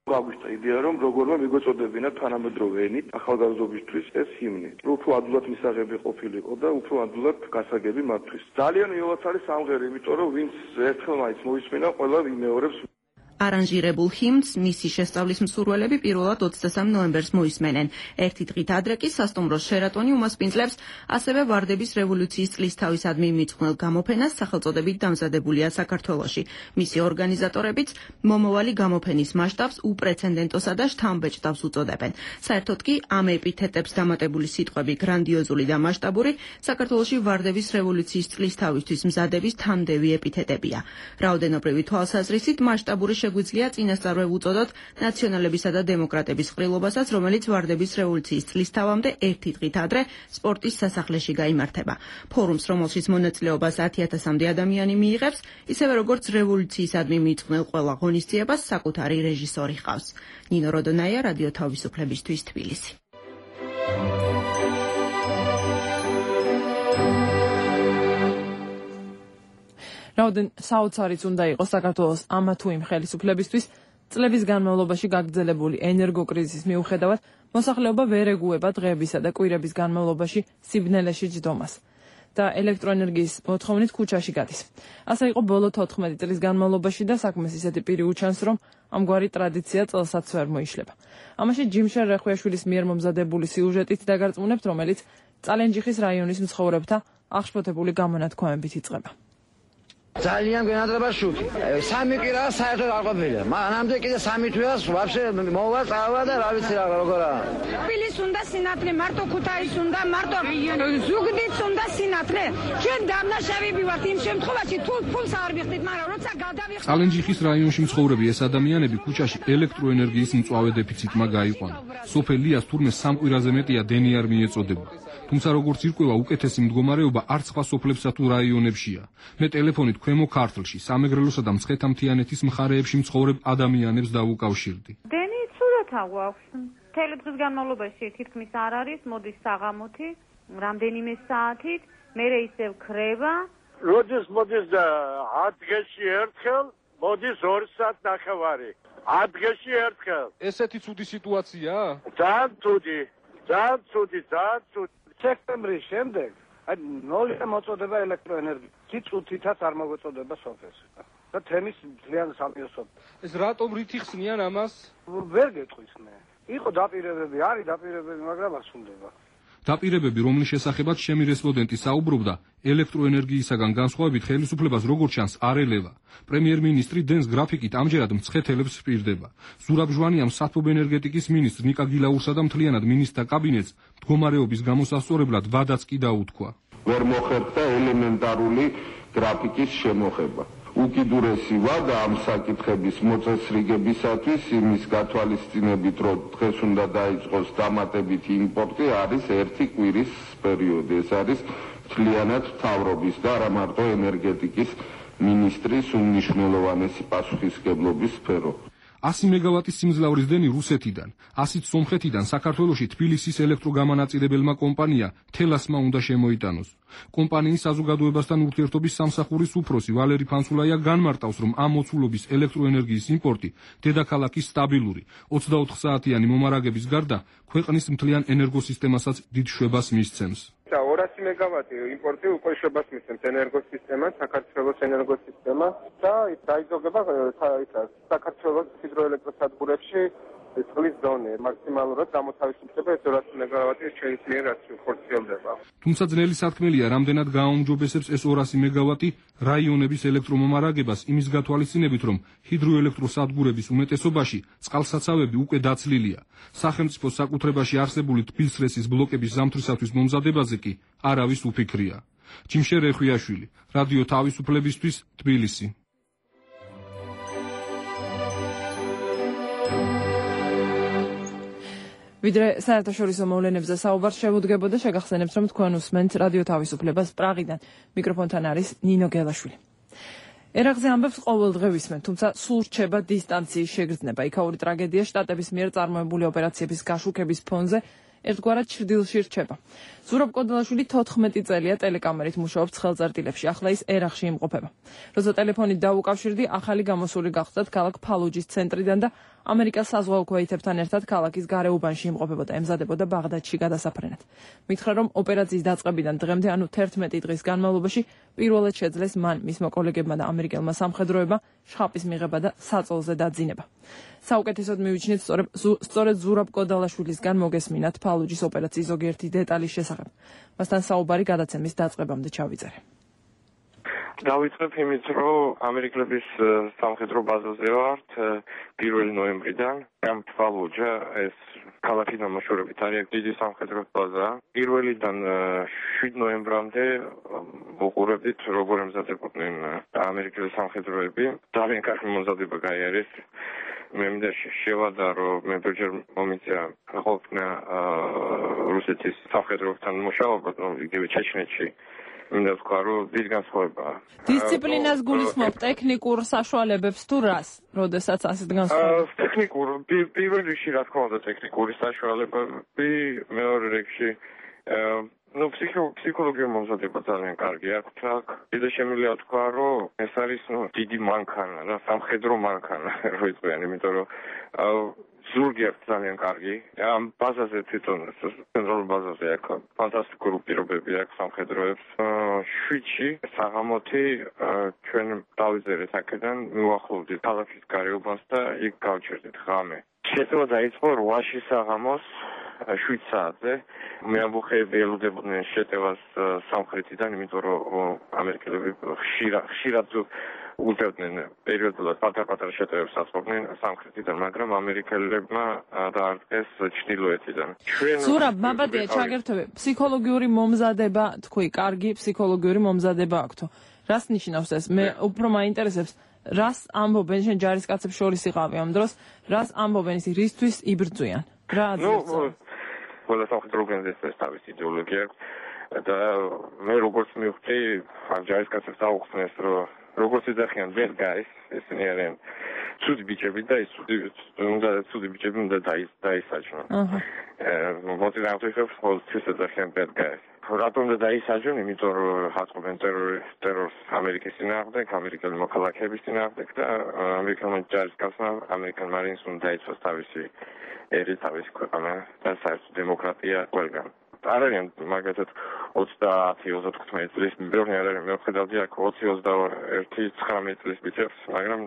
გაგვიშთა იდეა, რომ როგორმა მიგოწოდებინა თანამედროვე ენით ახალგაზრდობისთვის ეს ჰიმნი. უფრო ადვილად მისაღები ყოფილიყო და უფრო ადვილად გასაგები მათთვის. ძალიან იოლად არის სამღერი, იმიტომ რომ ვინც ერთხელ მაინც მოისმინა, ყველა იმეორებს. არანჟირებულ ჰიმნს მისი შესწავლის მსურველები პირველად 23 ნოემბერს მოისმენენ. ერთი დღით ადრე კი სასტუმროს შერატონი უმასპინძლებს ასევე ვარდების რევოლუციის წლის თავისადმი მიწყვნილ გამოფენას სახელწოდებით დამზადებულია საქართველოში. მისი ორგანიზატორებიც მომავალი გამოფენის მასშტაბს უპრეცედენტოსა და შთამბეჭდავს უწოდებენ. საერთოდ კი ამ ეპითეტებს დამატებული სიტყვები გრანდიოზული და მასშტაბური საქართველოში ვარდების რევოლუციის წლის თავისთვის მზადების თანმდევი ეპითეტებია. რაოდენობრივი თვალსაზრისით მასშტაბური შეგვიძლია წინასწარ ვუწოდოთ ნაციონალებისა და დემოკრატების ყრილობასაც, რომელიც ვარდების რევოლუციის წლისთავამდე ერთი დღით ადრე სპორტის სასახლეში გაიმართება. ფორუმს, რომელშიც მონაწილეობას 10,000-მდე ადამიანი მიიღებს, ისევე როგორც რევოლუციისადმი მიწყნელ ყველა ღონისძიებას საკუთარი რეჟისორი ჰყავს. ნინო როდონაია, რადიო თავისუფლებისთვის, თბილისი. რაოდენ საოცარიც უნდა იყოს საქართველოს ამა თუ იმ ხელისუფლებისთვის, წლების განმავლობაში გაგრძელებული ენერგოკრიზისის მიუხედავად, მოსახლეობა ვერ ეგუება დღეებისა და კვირების განმავლობაში სიბნელეში ჯდომას და ელექტროენერგიის მოთხოვნით ქუჩაში გადის. ასე იყო ბოლო 14 წლის განმავლობაში და საქმეს ისეთი პირი უჩანს, რომ ამგვარი ტრადიცია წელსაც ვერ მოიშლება. ამაში ჯიმშერ რეხვიაშვილის მიერ მომზადებული სიუჟეტით დაგარწმუნებთ, რომელიც წალენჯიხის რაიონის მცხოვრებთა აღშფოთებული გამონათქვამებით იწყება. ძალიან გვენაძრება შუქი. სამი კი რა საერთოდ არ ყოფილა. მანამდე კიდე სამი თვეას ვაფშე მოვა წავა და რა ვიცი როგორა. თბილისს უნდა სინათლე, მარტო ქუთაისს უნდა, მარტო ზუგდიდს უნდა სინათლე. ჩვენ დამნაშავეები ვართ იმ შემთხვევაში თუ ფულს არ ვიხდით, მაგრამ როცა გადავიხდით. წალენჯიხის რაიონში მცხოვრები ეს ადამიანები ქუჩაში ელექტროენერგიის მწვავე დეფიციტმა გაიყვანა. სოფელ ლიას თურმე სამკვირაზე მეტია დენი არ მიეწოდება. თუმცა როგორც ირკვევა, უკეთესი მდგომარეობა არც სხვა სოფლებსა თუ რაიონებშია. მე ტელეფონით ქვემო ქართლში, სამეგრელოსა და მცხეთა-მთიანეთის მხარეებში მცხოვრებ ადამიანებს დავუკავშირდი. დენი ცუდათა გვაქვს. მთელი დღის განმავლობაში თითქმის არ არის, მოდის საღამოთი, რამდენიმე საათით, მერე ისევ ქრება. როდის მოდის და 10 დღეში ერთხელ, მოდის 2 საათ ნახევარი. 10 დღეში ერთხელ. ესეთი ცუდი სიტუაციაა? ძალიან ცუდი. ძალიან ცუდი. სექტემბრის შემდეგ აი 0 მოწოდება ელექტროენერგია. წუთითაც არ მოწოდება სოფელს. და თემის ძალიან სამიოსო. ეს რატომ რითი ხსნიან ამას? ვერ გეტყვის მე. იყო დაპირებები, არის დაპირებები, მაგრამ ასუნდება. დაპირებები, რომლის შესახებაც ჩემი რესპონდენტი საუბრობდა, ელექტროენერგიისაგან განსხვავებით ხელისუფლებას როგორც ჩანს არ ელევა. პრემიერ-მინისტრი დენს გრაფიკით ამჯერად მცხეთელებს სპირდება. ზურაბ ჟვანიამ საათობ ენერგეტიკის მინისტრ ნიკა გილაურსა და მთლიანად მინისტრთა კაბინეტს მდგომარეობის გამოსასწორებლად ვადაც კი დაუთქვა. ვერ მოხერხდა ელემენტარული გრაფიკის შემოღება. უკიდურესი ვადა ამ საკითხების მოწესრიგებისათვის იმის გათვალისწინებით, რომ დღეს უნდა დაიწყოს დამატებითი იმპორტი, არის 1 კვირის პერიოდი. ეს არის მთლიანად მთავრობის და არა მარტო ენერგეტიკის მინისტრის უმნიშვნელოვანესი პასუხისმგებლობის სფერო. 100 მეგავატის სიმძლავრის დენი რუსეთიდან, 100-ით სომხეთიდან საქართველოში თბილისის ელექტროგამანაწილებელმა კომპანია თელასმა უნდა შემოიტანოს. კომპანიის საზოგადოებასთან ურთიერთობის სამსახურის უფროსი ვალერი ფანსულაია განმარტავს, რომ ამ მოცულობის ელექტროენერგიის იმპორტი დედაქალაქის სტაბილური 24 საათიანი მომარაგების გარდა ქვეყნის მთლიან ენერგოსისტემასაც დიდ შვებას მისცემს. 200 მეგავატი იმპორტი უკვე შვებას მისცემს ენერგოსისტემას, საქართველოს ენერგოსისტემას და დაიზოგება საქართველოს ჰიდროელექტროსადგურებში წყლის დონე. მაქსიმალურად გამოთავისუფლდება 200 მეგავატი ჩვენს მიერ რაც ხორციელდება. თუმცა ძნელი სათქმელია, რამდენად გააუმჯობესებს ეს 200 მეგავატი რაიონების ელექტრომომარაგებას იმის გათვალისწინებით, რომ ჰიდროელექტროსადგურების უმეტესობაში წყალსაცავები უკვე დაცლილია. სახელმწიფოს საკუთრებაში არსებული თბილისრესის ბლოკების ზამთრისათვის მომზადებაზე კი არავის უფიქრია. ჯიმშერ რეხვიაშვილი, რადიო თავისუფლებისთვის, თბილისი. ვიდრე საერთაშორისო მოვლენებზე საუბარს შევუდგებოდა, შეგახსენებთ, რომ თქვენ უსმენთ რადიო თავისუფლებას პრაღიდან. მიკროფონთან არის ნინო გელაშვილი. ერაღზე ამბებს ყოველდღე ვისმენთ, თუმცა სულ რჩება დისტანციის შეგრძნება. იქაური ტრაგედია შტატების მიერ წარმოებული ოპერაციების გაშუქების ფონზე ერთგვარად ჩრდილში რჩება. ზურაბ კოდელაშვილი 14 წელია ტელეკამერით მუშაობს ხელწერტილებში, ახლა ის ერაღში იმყოფება. როცა ტელეფონით დაუკავშირდი, ახალი გამოსული გახსდათ ქალაქ ფალუჯის ცენტრიდან და ამერიკას საზღვაო ქვეითებთან ერთად ქალაქის გარეუბანში იმყოფებოდა, ემზადებოდა ბაღდადში გადასაფრენად. მითხრა, რომ ოპერაციის დაწყებიდან დღემდე, ანუ 11 დღის განმავლობაში, პირველად შეძლეს მან, მისმა კოლეგებმა და ამერიკელმა სამხედროებმა შხაპის მიღება და საწოლზე დაძინება. საუკეთესოდ მივიჩნით სწორედ ზურაბ კოდალაშვილისგან მოგესმინათ ფალუჯის ოპერაციის ზოგიერთი დეტალის შესახებ. მასთან საუბარი გადაცემის დაწყებამდე ჩავიწერე. დავიწყებ იმით, რომ ამერიკელების სამხედრო ბაზაზე ვართ 1 ნოემბრიდან. ამ ფალუჯა ეს ქალაქის დამაშორებით არის დიდი სამხედრო ბაზა. 1-დან 7 ნოემბრამდე უყურებდით, როგორ ემზადებოდნენ ამერიკელი სამხედროები. ძალიან კარგი მომზადება გაიარეს. მე მინდა შევადა, რომ მე ბერჯერ მომიწია ყოფნა რუსეთის სამხედროებთან მუშაობა, იგივე ჩეჩნეთში. მინდა ვთქვა, რომ დიდი განსხვავებაა. დისციპლინას გულისხმობ ტექნიკურ საშუალებებს თუ რას, როდესაც ასეთ განსხვავებებს? ტექნიკურ, პირველ რიგში რა თქმა უნდა ტექნიკური საშუალებები, მეორე რიგში ფსიქოლოგიური მომზადება ძალიან კარგი აქვს აქ. კიდე შემიძლია ვთქვა, რომ ეს არის დიდი მანქანა, რა სამხედრო მანქანა რო იყვიან, იმიტომ რომ ზურგი აქვს ძალიან კარგი. ამ ბაზაზე თვითონ ცენტრალურ ბაზაზე აქვს ფანტასტიკური პირობები აქვს სამხედროებს. 7-ში საღამოთი ჩვენ დავიწერეთ აქედან, მივახლოვდით ქალაქის გარეუბანს და იქ გავჩერდით ღამე. შეწევა დაიწყო 8-ში საღამოს 7 საათზე. მე ამბოხები ელოდებოდნენ შეტევას სამხრეთიდან, იმიტომ რომ ამერიკელები ხშირად უწევდნენ პერიოდულად პატარ-პატარ შეტევებს აწყობდნენ სამხრეთიდან, მაგრამ ამერიკელებმა დაარტყეს ჩრდილოეთიდან. ზურაბ, მაბადია ჩაგერთვები, ფსიქოლოგიური მომზადება, თქვი, კარგი ფსიქოლოგიური მომზადება აქვთო. რას ნიშნავს ეს? მე უფრო მაინტერესებს, რას ამბობენ შენ ჯარისკაცებს შორის იყავი ამ დროს, რას ამბობენ ისი რისთვის იბრძვიან? რა აზრია? ყველა სამხედრო ორგანიზაციას თავისი იდეოლოგია აქვს და მე როგორც მივხვდი, ამ ჯარისკაცებს აუხსნეს, რომ როგორც ეძახიან bad guys, ესენი არიან ცუდი ბიჭები და ის ცუდი ბიჭები უნდა დაისაჯონ. მოწინააღმდეგეებს ყოველთვის ეძახიან bad guys. რატომ უნდა დაისაჯონ? იმიტომ რომ აწყობენ ტერორს ამერიკის წინააღმდეგ, ამერიკელი მოქალაქეების წინააღმდეგ და ამერიკელმა ჯარისკაცმა, ამერიკელ მარინს უნდა დაიცვას თავისი ერი, თავისი ქვეყანა და საერთო დემოკრატია ყველგან. არ არიან მაგალითად 30-35 წლის ბევრი არ არის, მე ვხედავდი აქ 20-21-19 წლის ბიჭებს, მაგრამ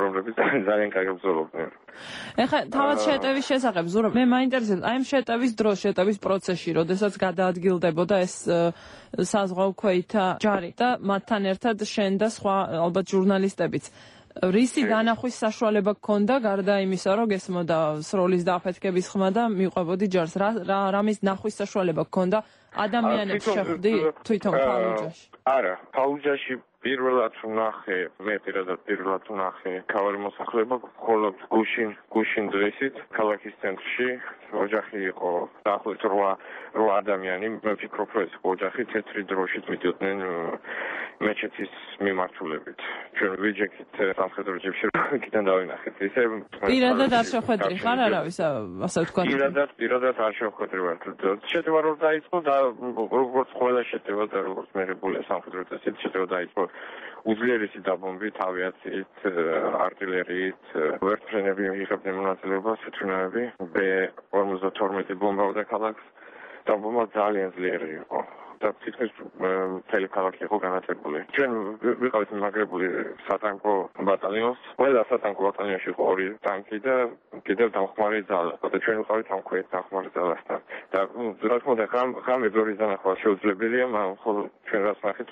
რომლებიც ძალიან კარგად ბრძოლობდნენ. ეხლა თავად შეტევის შესახებ, ზურაბ, მე მაინტერესებს, აი ამ შეტევის დროს, შეტევის პროცესში, როდესაც გადაადგილდებოდა ეს საზღვაო ქვეითა ჯარი და მათთან ერთად შენ და სხვა ალბათ ჟურნალისტებიც. რისი განახვის საშუალება გქონდა გარდა იმისა, რომ გესმოდა სროლის დააფეთქების ხმა და მიყვებოდი ჯარს, რამის ნახვის საშუალება გქონდა ადამიანებს შეხვდი თვითონ ფალუჯაში? არა, ფალუჯაში პირველად ვნახე, მე პირველად ვნახე ქავარი მოსახლეობა მხოლოდ გუშინ დღესით ქალაქის ცენტრში. ოჯახი იყო დაახლოებით 8 ადამიანი, მე ვფიქრობ, რომ ეს ოჯახი თეთრი დროშით მიდიოდნენ მეჩეთის მიმართულებით. ჩვენ ვიჯექით სამხედრო ჯიპში, იქიდან დავინახეთ. ისე პირადად არ შეხვედრი ხარ არავის, ასე ვთქვა? პირადად არ შეხვედრი ვარ. შეტევა რომ დაიწყო და როგორც ყველა შეტევა და როგორც მიღებულია სამხედრო წესით შეტევა დაიწყო უძლიერესი დაბომბით, ავიაციით, артиллериით, ვერტფრენები იღებდნენ მონაწილეობას, თვითონავები, B-52 ბომბავდა ქალაქს. დაბომბა ძალიან ძლიერი იყო. და თითქმის მთელი ქალაქი იყო განათებული. ჩვენ ვიყავით მიმაგრებული სატანკო ბატალიონს. ყველა სატანკო ბატალიონში იყო 2 ტანკი და კიდევ დამხმარე ძალა. და ჩვენ ვიყავით ამ ქვეით დამხმარე ძალასთან. და რა თქმა უნდა, ღამე ბევრი დანახვა შეუძლებელია, მაგრამ ხოლო ჩვენ რაც ნახეთ,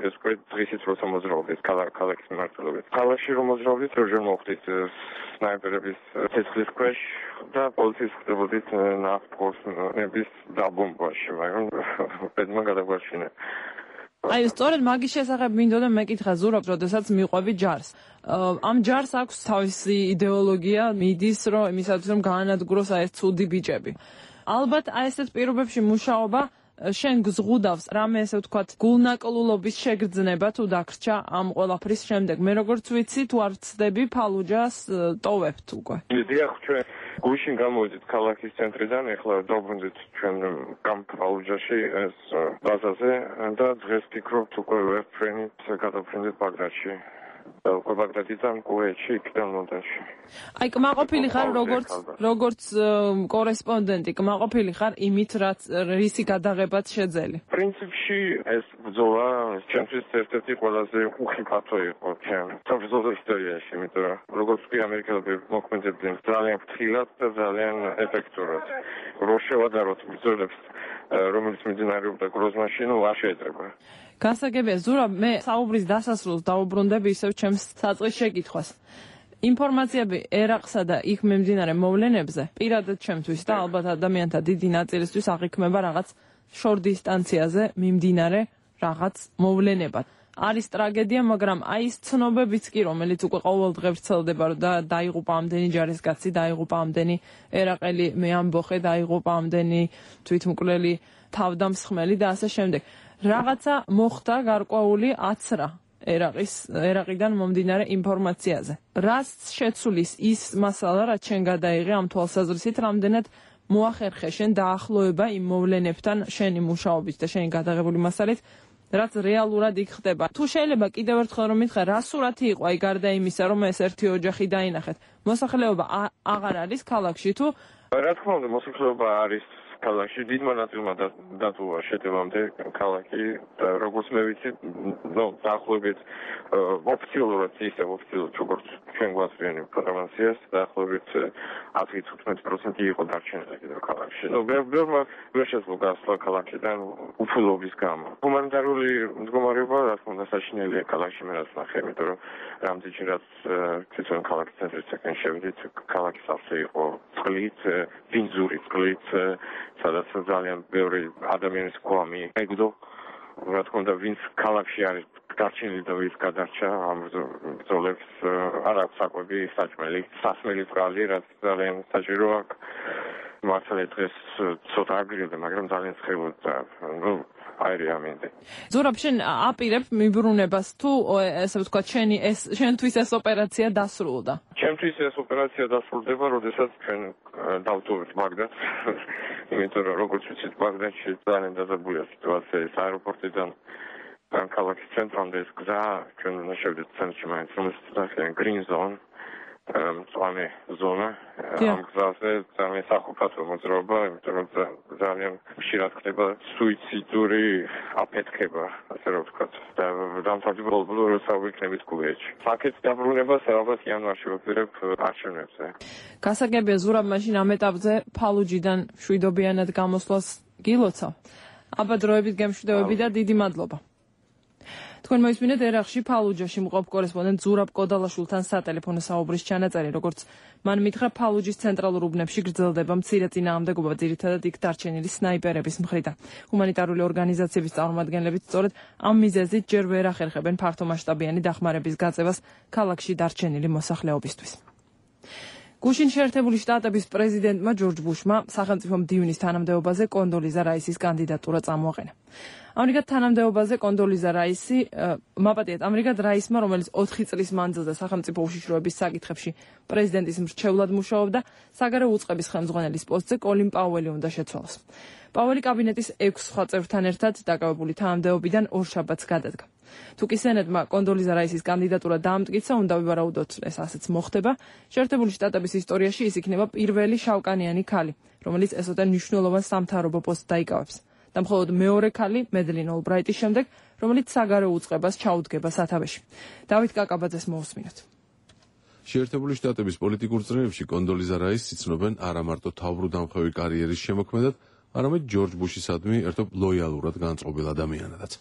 ეს უკვე დღისით როცა მოძრაობდით ქალაქის მიმართულებით. ქალაქში რომ მოძრაობდით, როჟერ მოხვდით სნაიპერების ცეცხლის ქვეშ და პოლიციის ხდებოდით ნავთობების დაბომბვაში, მაგრამ ბედმა გადაგვარჩინა. აი, სწორედ მაგის შესახებ მინდოდა მეკითხა, ზურაბ, როდესაც მიყვები ჯარს. ამ ჯარს აქვს თავისი იდეოლოგია, მიდის, რომ იმისათვის რომ გაანადგუროს აი ეს ცუდი ბიჭები. ალბათ აი ესეთ პირობებში მუშაობა შენ გზღუდავს რამე ესე ვთქვათ გულნაკლულობის შეგრძნება თუ დაგრჩა ამ ყველაფრის შემდეგ. მე როგორც ვიცი, თუ არ ვცდები ფალუჯას ტოვებთ უკვე. დიახ, ჩვენ გუშინ გამოვიდით ქალაქის ცენტრიდან, ეხლა დავბრუნდით ჩვენ ფალუჯაში ეს ბაზაზე და დღეს ფიქრობთ უკვე ვერტფრენით გადავფრინდით ბაგრატში. ბაგდადიდან კუვეიტში იქიდან ლონდონში. აი კმაყოფილი ხარ როგორც კორესპონდენტი, კმაყოფილი ხარ იმით, რისი გადაღებაც შეძელი. პრინციპში ეს ბრძოლა ჩემთვის ერთ-ერთი ყველაზე უხიფათო იყო საბრძოლო ისტორიაში, იმიტომ რომ როგორც კი ამერიკელები მოქმედებდნენ ძალიან ფრთხილად და ძალიან ეფექტურად. რო შევადაროთ ბრძოლებს, რომელიც მიმდინარეობდა გროზნაში, არ შეიძლება. გასაგებია, ზურაბ, მე საუბრის დასასრულს დაუბრუნდები ისევ ჩემს საწყის შეკითხვას. ინფორმაციები ერაყსა და იქ მიმდინარე მოვლენებზე პირადად ჩემთვის და ალბათ ადამიანთა დიდი ნაწილისთვის აღიქმება რაღაც შორ დისტანციაზე მიმდინარე რაღაც მოვლენებად. არის ტრაგედია, მაგრამ აი ეს ცნობებიც კი, რომელიც უკვე ყოველდღე ვრცელდება, რომ დაიღუპა ამდენი ჯარისკაცი, დაიღუპა ამდენი ერაყელი მეამბოხე, დაიღუპა ამდენი თვითმკვლელი თავდამსხმელი და ასე შემდეგ. რაღაცა მოხდა გარკვეული აცრა ერაყიდან მომდინარე ინფორმაციაზე. რაც შეცვლის ის მასალა, რაც შენ გადაიღე ამ თვალსაზრისით, რამდენად მოახერხე შენ დაახლოება იმ მოვლენებთან შენი მუშაობით და შენი გადაღებული მასალით, რაც რეალურად იქ ხდება. თუ შეიძლება კიდევ ერთხელ რომ მითხრა, რა სურათი იყო აი გარდა იმისა, რომ ეს ერთი ოჯახი დაინახეთ. მოსახლეობა აღარ არის ქალაქში თუ რა თქმა უნდა, მოსახლეობა არის ქალაქში, დიდმა ნაწილმა დატოვა შეტევამდე ქალაქი და როგორც მე ვიცი, დაახლოებით ოფიციალურად როგორც ჩვენ გვაწვდიან ინფორმაციას, დაახლოებით 10-15% იყო დარჩენილი კიდევ ქალაქში. ბევრმა ვერ შეძლო გასვლა ქალაქიდან უფულობის გამო. ჰუმანიტარული მდგომარეობა, რა თქმა უნდა, საშინელია ქალაქში, მე რაც ნახე, იმიტომ რომ რამდენჯერაც თვითონ ქალაქის ცენტრისაკენ შევიდით, ქალაქის ავზე იყო წყლით, ბინძური წყლით, სადაც ძალიან ბევრი ადამიანის გვამი ეგდო, რა თქმა უნდა, ვინც ქალაქში არის დარჩენილი და ვინც გადარჩა ამ ბრძოლებს, არ აქვს საკვები, საჭმელი, სასმელი წყალი, რაც ძალიან საჭირო აქვს. მართლა დღეს ცოტა აგრირდა, მაგრამ ძალიან ცხელოდა. აირია მინდა. ზურაბ, შენ აპირებ მიბრუნებას თუ ესე ვთქვათ, შენთვის ეს ოპერაცია დასრულდა? ჩემთვის ეს ოპერაცია დასრულდება, როდესაც ჩვენ დავტოვებთ ბაგდადს. იმიტომ რომ როგორც ვიცით, ბაგდადში ძალიან დაძაბულია სიტუაცია, ეს აეროპორტიდან ქალაქის ცენტრამდე ეს გზა, ჩვენ უნდა შევიდეთ ცენტრში მაინც, რომელიც ძალიან green zone, მწვანე ზონა, ამ გზაზე ძალიან სახიფათო მოძრაობა, იმიტომ რომ ძალიან ხშირად ხდება სუიციდური აფეთქება, ასე რომ ვთქვათ, და დამთავრდა ბოლო როცა ვიქნებით კუვეიტში. ფაქტს დაბრუნებას ალბათ იანვარში ვაპირებ არჩევნებზე. გასაგებია, ზურაბ, მაშინ ამ ეტაპზე ფალუჯიდან მშვიდობიანად გამოსვლას გილოცავ. აბა დროებით გემშვიდობები და დიდი მადლობა. თქვენ მოისმინეთ ერაყში ფალუჯაში მყოფ კორესპონდენტ ზურაბ კოდალაშვილთან სატელეფონო საუბრის ჩანაწერი, როგორც მან მითხრა, ფალუჯის ცენტრალურ უბნებში გრძელდება მცირე წინააღმდეგობა, ძირითადად იქ დარჩენილი სნაიპერების მხრიდან. ჰუმანიტარული ორგანიზაციების წარმომადგენლებიც სწორედ ამ მიზეზით ჯერ ვერ ახერხებენ ფართომასშტაბიანი დახმარების გაწევას ქალაქში დარჩენილი მოსახლეობისთვის. გუშინ შეერთებული შტატების პრეზიდენტმა ჯორჯ ბუშმა სახელმწიფო მდივნის თანამდებობაზე კონდოლიზა რაისის კანდიდატურა წამოაყენა. ამრიგად თანამდებობაზე კონდოლიზა რაისი მაპატიეთ ამრიგად რაისმა, რომელიც 4 წლის მანძილზე სახელმწიფო უშიშროების საკითხებში პრეზიდენტის მრჩევლად მუშაობდა, საგარეო უწყების ხელმძღვანელის პოსტზე კოლინ პაუელი უნდა შეცვალოს. პაუელი კაბინეტის 6 სხვა წევრთან ერთად დაკავებული თანამდებობიდან ორშაბათს გადადგა. თუკი სენატმა კონდოლიზა რაისის კანდიდატურა დაამტკიცა, უნდა ვივარაუდოთ, ეს ასეც მოხდება. შეერთებული შტატების ისტორიაში ის იქნება პირველი შავკანიანი ქალი, რომელიც ესოთა მნიშვნელოვან სამთავრობო პოსტს დაიკავებს. და მხოლოდ მეორე ქალი მედლინ ოლბრაიტის შემდეგ, რომელიც საგარეო უწყებას ჩაუდგება სათავეში. დავით კაკაბაძეს მოусმინოთ. შეერთებული შტატების პოლიტიკურ წრეებში კონდოლიზა რაისს იცნობენ არა მარტო თავბრუდამხვევი კარიერის შემოქმედად, არამედ ჯორჯ ბუშისადმი ერთობ ლოიალურად განწყობილ ადამიანადაც.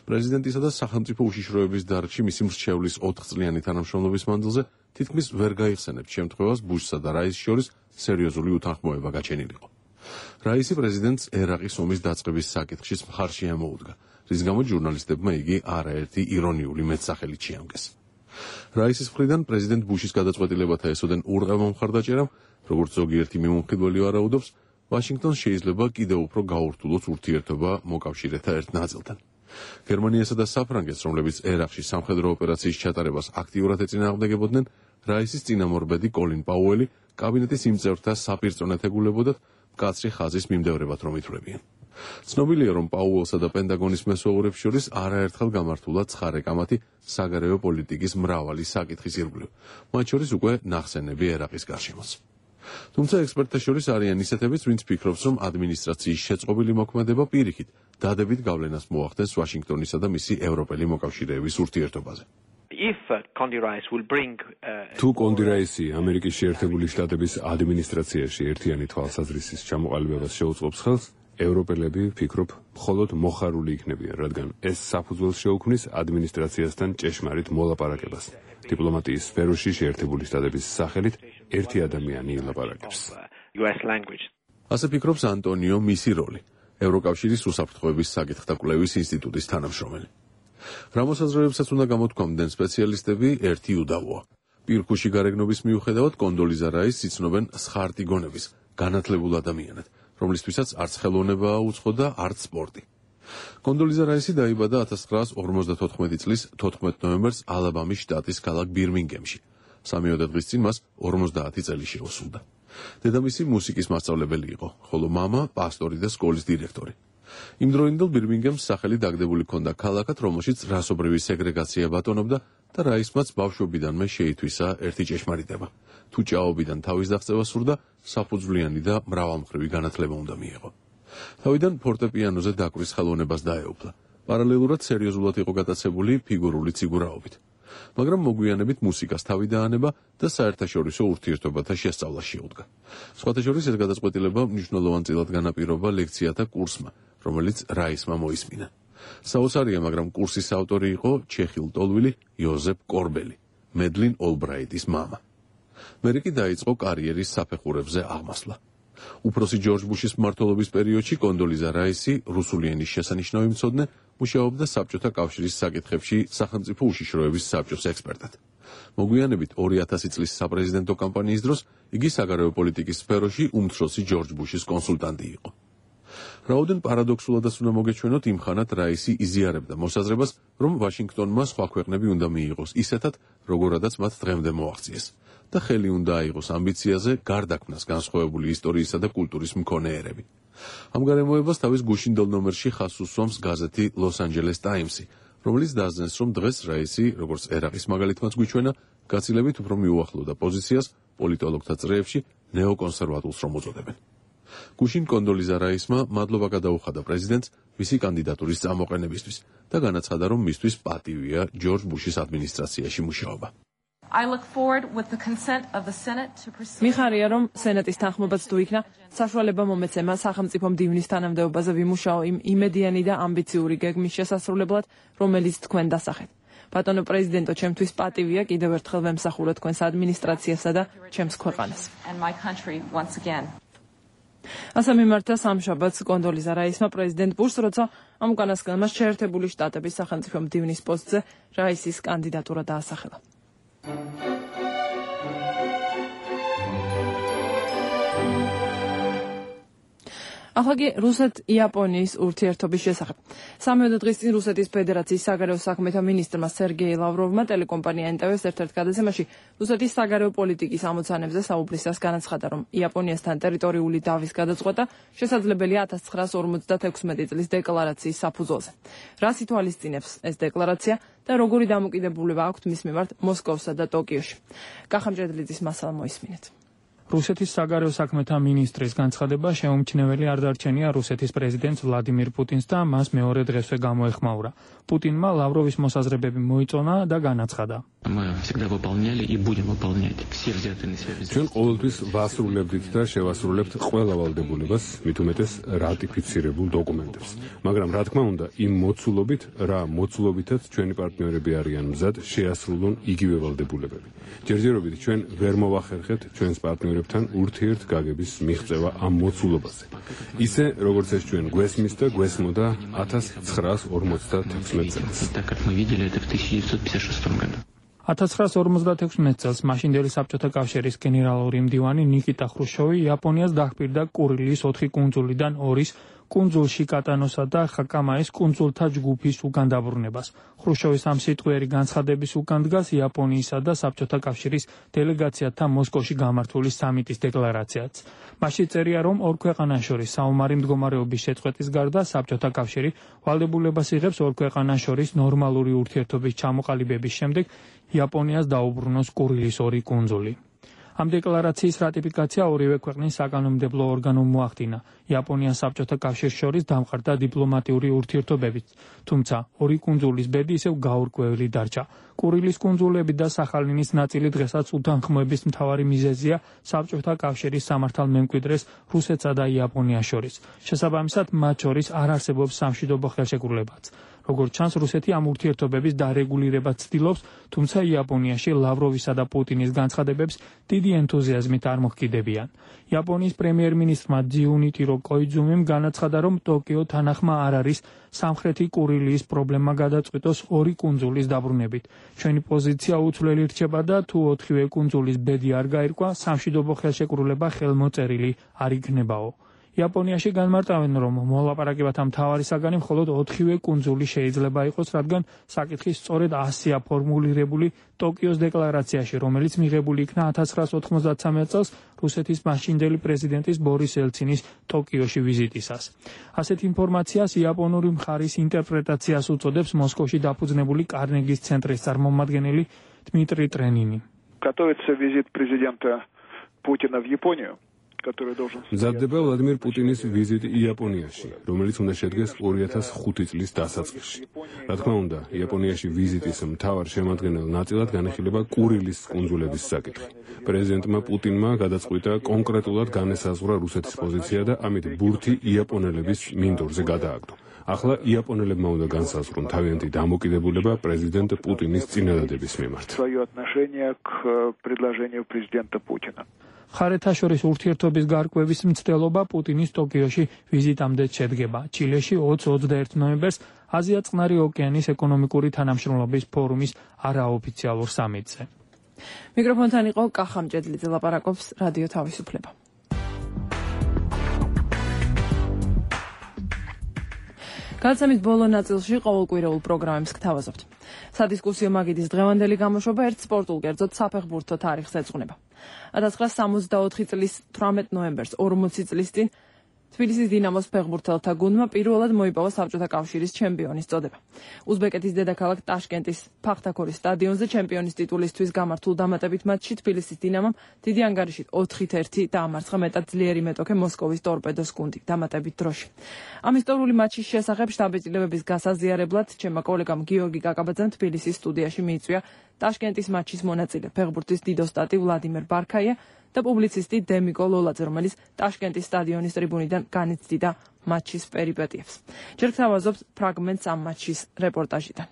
პრეზიდენტისა და სახელმწიფო უშიშროების დარგში მისი მრჩევლის 4 წლიანი თანამშრომლობის მანძილზე თითქმის ვერ გაიხსენებთ შემთხვევას ბუშსა და რაისის შორის სერიოზული უთანხმოება გაჩენილიყო. რაისი პრეზიდენტს ერაყის ომის დაწყების საკითხშიც მხარში ამოუდგა, რის გამოც ჟურნალისტებმა იგი არაერთი ირონიული მეტსახელით შეამკეს. რაისის მხრიდან პრეზიდენტ ბუშის გადაწყვეტილებათა ესოდენ ურყევმა მხარდაჭერამ, როგორც ზოგიერთი მიმომხილველი ვარაუდობს, ვაშინგტონს შეიძლება კიდევ უფრო გაურთულოს ურთიერთობა მოკავშირეთა ერთ ნაწილთან. გერმანიასა და საფრანგეთს, რომლებიც ერაყში სამხედრო ოპერაციის ჩატარებას აქტიურად ეწინააღმდეგებოდნენ, რაისის წინამორბედი კოლინ პაუელი კაბინეტის იმ წევრთა საპირწონეთ ეგულებოდათ, მკაცრი ხაზის მიმდევრებად რომ ითვლებიან. ცნობილია, რომ პაუელსა და პენტაგონის მესვეურებს შორის არაერთხელ გამართულა ცხარე კამათი საგარეო პოლიტიკის მრავალი საკითხის ირგვლივ, მათ შორის უკვე ნახსენები ერაყის გარშემოც. თუმცა ექსპერტთა შორის არიან ისეთებიც, ვინც ფიქრობს, რომ ადმინისტრაციის შეწყობილი მოქმედება პირიქით დადებით გავლენას მოახდენს ვაშინგტონისა და მისი ევროპელი მოკავშირეების ურთიერთობაზე. თუ კონდი რაისი ამერიკის შეერთებული შტატების ადმინისტრაციაში ერთიანი თვალსაზრისის ჩამოყალიბებას შეუწყობს ხელს, ევროპელები ფიქრობ, მხოლოდ მოხარული იქნებიან, რადგან ეს საფუძველს შეუქმნის ადმინისტრაციასთან ჭეშმარიტ მოლაპარაკებას. დიპლომატიის სფეროში შეერთებული შტატების სახელით ერთი ადამიანი ილაპარაკებს. ასე ფიქრობს ანტონიო მისიროლი, ევროკავშირის უსაფრთხოების საკითხთა კვლევის ინსტიტუტის თანამშრომელი. რა მოსაზრებებსაც უნდა გამოთქვამდნენ სპეციალისტები, ერთი უდავოა. პირქუში გარეგნობის მიუხედავად კონდოლიზა რაის იცნობენ სხარტი გონების, განათლებულ ადამიანად, რომლისთვისაც არც ხელოვნება უცხო და არც სპორტი. კონდოლიზა რაისი დაიბადა 1954 წლის 14 ნოემბერს ალაბამის შტატის ქალაქ ბირმინგემში. 3 დღის წინ მას 50 წელი შეუსრულდა. დედამისი მუსიკის მასწავლებელი იყო, ხოლო მამა პასტორი და სკოლის დირექტორი. იმ დროინდელ ბირმინგემს სახელი დაგდებული ჰქონდა ქალაქად, რომელშიც რასობრივი სეგრეგაცია ბატონობდა და რაისმაც ბავშვობიდანვე შეითვისა ერთი ჭეშმარიტება. თუ ჭაობიდან თავის დაღწევა სურდა, საფუძვლიანი და მრავალმხრივი განათლება უნდა მიეღო. თავიდან ფორტეპიანოზე დაკვრის ხელოვნებას დაეუფლა. პარალელურად სერიოზულად იყო გატაცებული ფიგურული ციგურაობით. მაგრამ მოგვიანებით მუსიკას თავი დაანება და საერთაშორისო ურთიერთობათა შესწავლა შეუდგა. სხვათა შორის ეს გადაწყვეტილება მნიშვნელოვანწილად განაპირობა ლექციათა კურსმა, რომელიც რაისმა მოისმინა. საოცარია, მაგრამ კურსის ავტორი იყო ჩეხი ლტოლვილი იოზეფ კორბელი, მედლინ ოლბრაიტის მამა. მერე კი დაიწყო კარიერის საფეხურებზე აღმასვლა. უფროსი ჯორჯ ბუშის მმართველობის პერიოდში კონდოლიზა რაისი, რუსული ენის შესანიშნავი მცოდნე, მუშაობდა საბჭოთა კავშირის საკითხებში სახელმწიფო უშიშროების საბჭოს ექსპერტად. მოგვიანებით 2000 წლის საპრეზიდენტო კამპანიის დროს იგი საგარეო პოლიტიკის სფეროში უმცროსი ჯორჯ ბუშის კონსულტანტი იყო. რაოდენ პარადოქსულადაც უნდა მოგეჩვენოთ, იმ ხანად რაისი იზიარებდა მოსაზრებას, რომ ვაშინგტონმა სხვა ქვეყნები უნდა მიიღოს ისეთად, როგორადაც მათ დღემდე მოაღწიეს და ხელი უნდა აიღოს ამბიციაზე გარდაქმნას განსხვავებული ისტორიისა და კულტურის მქონე ერები. ამ გარემოებას თავის გუშინდელ ნომერში ხაზს უსვამს გაზეთი Los Angeles Times-ი, რომელიც დასძენს, რომ დღეს რაისი, როგორც ერაყის მაგალითმაც გვიჩვენა, გაცილებით უფრო მიუახლოვდა პოზიციას პოლიტოლოგთა წრეებში ნეოკონსერვატულს რომ უწოდებენ. გუშინ კონდოლიზა რაისმა მადლობა გადაუხადა პრეზიდენტს მისი კანდიდატურის წამოყენებისთვის და განაცხადა, რომ მისთვის პატივია ჯორჯ ბუშის ადმინისტრაციაში მუშაობა. მიხარია, რომ სენატის თანხმობაც თუ იქნა, საშუალება მომეცემა სახელმწიფო მდივნის თანამდებობაზე ვიმუშაო იმ იმედიანი და ამბიციური გეგმის შესასრულებლად, რომელიც თქვენ დასახეთ. ბატონო პრეზიდენტო, ჩემთვის პატივია კიდევ ერთხელ ვემსახურე თქვენს ადმინისტრაციასა და ჩემს ქვეყანას. ასე მიმართა სამშაბათს კონდოლიზა რაისმა პრეზიდენტ ბუშს, როცა ამ უკანასკნელმა შეერთებული შტატების სახელმწიფო მდივნის პოსტზე რაისის კანდიდატურა დაასახელა. ახლა რუსეთ-იაპონიის ურთიერთობის შესახებ. 13 დღის წინ რუსეთის ფედერაციის საგარეო საქმეთა მინისტრმა სერგეი ლავროვმა ტელეკომპანია NTV-ს ერთ-ერთ გადაცემაში რუსეთის საგარეო პოლიტიკის ამოცანებზე საუბრისას განაცხადა, რომ იაპონიასთან ტერიტორიული დავის გადაწყვეტა შესაძლებელია 1956 წლის დეკლარაციის საფუძველზე. რას ითვალისწინებს ეს დეკლარაცია და როგორი დამოკიდებულება აქვთ მის მიმართ მოსკოვსა და ტოკიოში. კახამჭედლიძის მასალა მოისმინეთ. რუსეთის საგარეო საქმეთა მინისტრის განცხადება შეუმჩნეველი არ დარჩენია რუსეთის პრეზიდენტს ვლადიმირ პუტინს და მას მეორე დღესვე გამოეხმაურა. პუტინმა ლავროვის მოსაზრებები მოიწონა და განაცხადა. ჩვენ ყოველთვის ვასრულებდით და შევასრულებთ ყველა ვალდებულებას, მით უმეტეს რატიფიცირებულ დოკუმენტებს. მაგრამ რა თქმა უნდა, იმ მოცულობით, რა მოცულობითაც ჩვენი პარტნიორები არიან მზად შეასრულონ იგივე ვალდებულებები. ჯერჯერობით ჩვენ ვერ მოვახერხებთ ჩვენს პარტნიორებთან ურთიერთგაგების მიღწევა ამ მოცულობაზე. ისე, როგორც ეს ჩვენ გვესმის და გვესმოდა 1956 წელს. 1956 წელს მაშინდელი საბჭოთა კავშირის გენერალური მდივანი ნიკიტა ხრუშჩოვი იაპონიას დაჰპირდა კურილის 4 კუნძულიდან 2-ის კუნძულ შიკატანოსა და ხაკამაის კუნძულთა ჯგუფის უკან დაბრუნებას. ხრუშჩოვის ამ სიტყვიერი განცხადების უკან დგას იაპონიისა და საბჭოთა კავშირის დელეგაციათა მოსკოვში გამართული სამიტის დეკლარაციაც. მასში წერია, რომ ორ ქვეყანას შორის საომარი მდგომარეობის შეწყვეტის გარდა საბჭოთა კავშირი ვალდებულებას იღებს ორ ქვეყანას შორის ნორმალური ურთიერთობის ჩამოყალიბების შემდეგ იაპონიას დაუბრუნოს კურილის 2 კუნძული. ამ დეკლარაციის რატიფიკაცია ორივე ქვეყნის საკანონმდებლო ორგანომ მოახდინა. იაპონიას საბჭოთა კავშირს შორის დამყარდა დიპლომატიური ურთიერთობებიც, თუმცა 2 კუნძულის ბედი ისევ გაურკვეველი დარჩა. კურილის კუნძულები და სახალინის ნაწილი დღესაც უთანხმოების მთავარი მიზეზია საბჭოთა კავშირის სამართალმემკვიდრეს რუსეთსა და იაპონიას შორის. შესაბამისად, მათ შორის არ არსებობს სამშვიდობო ხელშეკრულებაც. როგორც ჩანს, რუსეთი ამ ურთიერთობების დარეგულირებას ცდილობს, თუმცა იაპონიაში ლავროვისა და პუტინის განცხადებებს დიდი ენთუზიაზმით არ მოჰკიდებიან. იაპონიის პრემიერ-მინისტრმა ჯიუნიტირო კოიძუმიმ განაცხადა, რომ ტოკიო თანახმა არ არის სამხრეთი კურილიის პრობლემა გადაწყვიტოს 2 კუნძულის დაბრუნებით. ჩვენი პოზიცია უცვლელი რჩება და თუ 4-ვე კუნძულის ბედი არ გაირკვა, სამშვიდობო ხელშეკრულება ხელმოწერილი არ იქნებაო. იაპონიაში განმარტავენ, რომ მოლაპარაკებათა მთავარი საგანი მხოლოდ 4-ვე კუნძული შეიძლება იყოს, რადგან საკითხი სწორედ ასია ფორმულირებული ტოკიოს დეკლარაციაში, რომელიც მიღებული იქნა 1993 წელს რუსეთის მაშინდელი პრეზიდენტის ბორის ელცინის ტოკიოში ვიზიტისას. ასეთ ინფორმაციას იაპონური მხარის ინტერპრეტაციას უწოდებს მოსკოვში დაფუძნებული კარნეგის ცენტრის წარმომადგენელი დმიტრი ტრენინი. Готовится визит президента Путина в Японию. მზადდება ვლადიმერ პუტინის ვიზიტი იაპონიაში, რომელიც უნდა შედგეს 2005 წლის დასაწყისში. რა თქმა უნდა, იაპონიაში ვიზიტის მთავარ შემადგენელ ნაწილად განიხილება კურილის კუნძულების საკითხი. პრეზიდენტმა პუტინმა გადაწყვიტა კონკრეტულად განესაზღვრა რუსეთის პოზიცია და ამით ბურთი იაპონელების მინდორზე გადააგდო. ახლა იაპონელებმა უნდა განსაზღვრონ თავიანთი დამოკიდებულება პრეზიდენტ პუტინის წინადადების მიმართ. მხარეთა შორის ურთიერთობის გარკვევის მცდელობა პუტინის ტოკიოში ვიზიტამდე შედგება. ჩილეში 20-21 ნოემბერს აზია-წყნარი ოკეანის ეკონომიკური თანამშრომლობის ფორუმის არაოფიციალურ სამიტზე. მიკროფონთან იყო კახამ ჭედლიძე, ლაპარაკობს რადიო თავისუფლება. გადაცემის ბოლო ნაწილში ყოველკვირეულ პროგრამებს გთავაზობთ. სადისკუსიო მაგიდის დღევანდელი გამოშვება ერთ სპორტულ კერძოდ საფეხბურთო თარიღს ეძღვნება. 1964 წლის 18 ნოემბერს 40 წლის წინ თბილისის დინამოს ფეხბურთელთა გუნდმა პირველად მოიპოვა საბჭოთა კავშირის ჩემპიონის წოდება. უზბეკეთის დედაქალაქ ტაშკენტის ფახთაქორის სტადიონზე ჩემპიონის ტიტულისთვის გამართულ დამატებით მატჩში თბილისის დინამომ დიდი ანგარიშით 4-1 დაამარცხა მეტად ძლიერი მეტოქე მოსკოვის ტორპედოს გუნდი დამატებით დროში. ამ ისტორიული მატჩის შესახებ შტაბ-ეწილებების გასაზიარებლად ჩემმა კოლეგამ გიორგი კაკაბაძემ თბილისის სტუდიაში მიიწვია ტაშკენტის მატჩის მონაწილე ფეხბურთის დიდოსტატი ვლადიმერ ბარქაია და პუბლიცისტი დემიკო ლოლაძე, რომელიც ტაშკენტის სტადიონის ტრიბუნიდან განიცდიდა მატჩის პერიპეტიებს. ჯერ გთავაზობთ ფრაგმენტს ამ მატჩის რეპორტაჟიდან.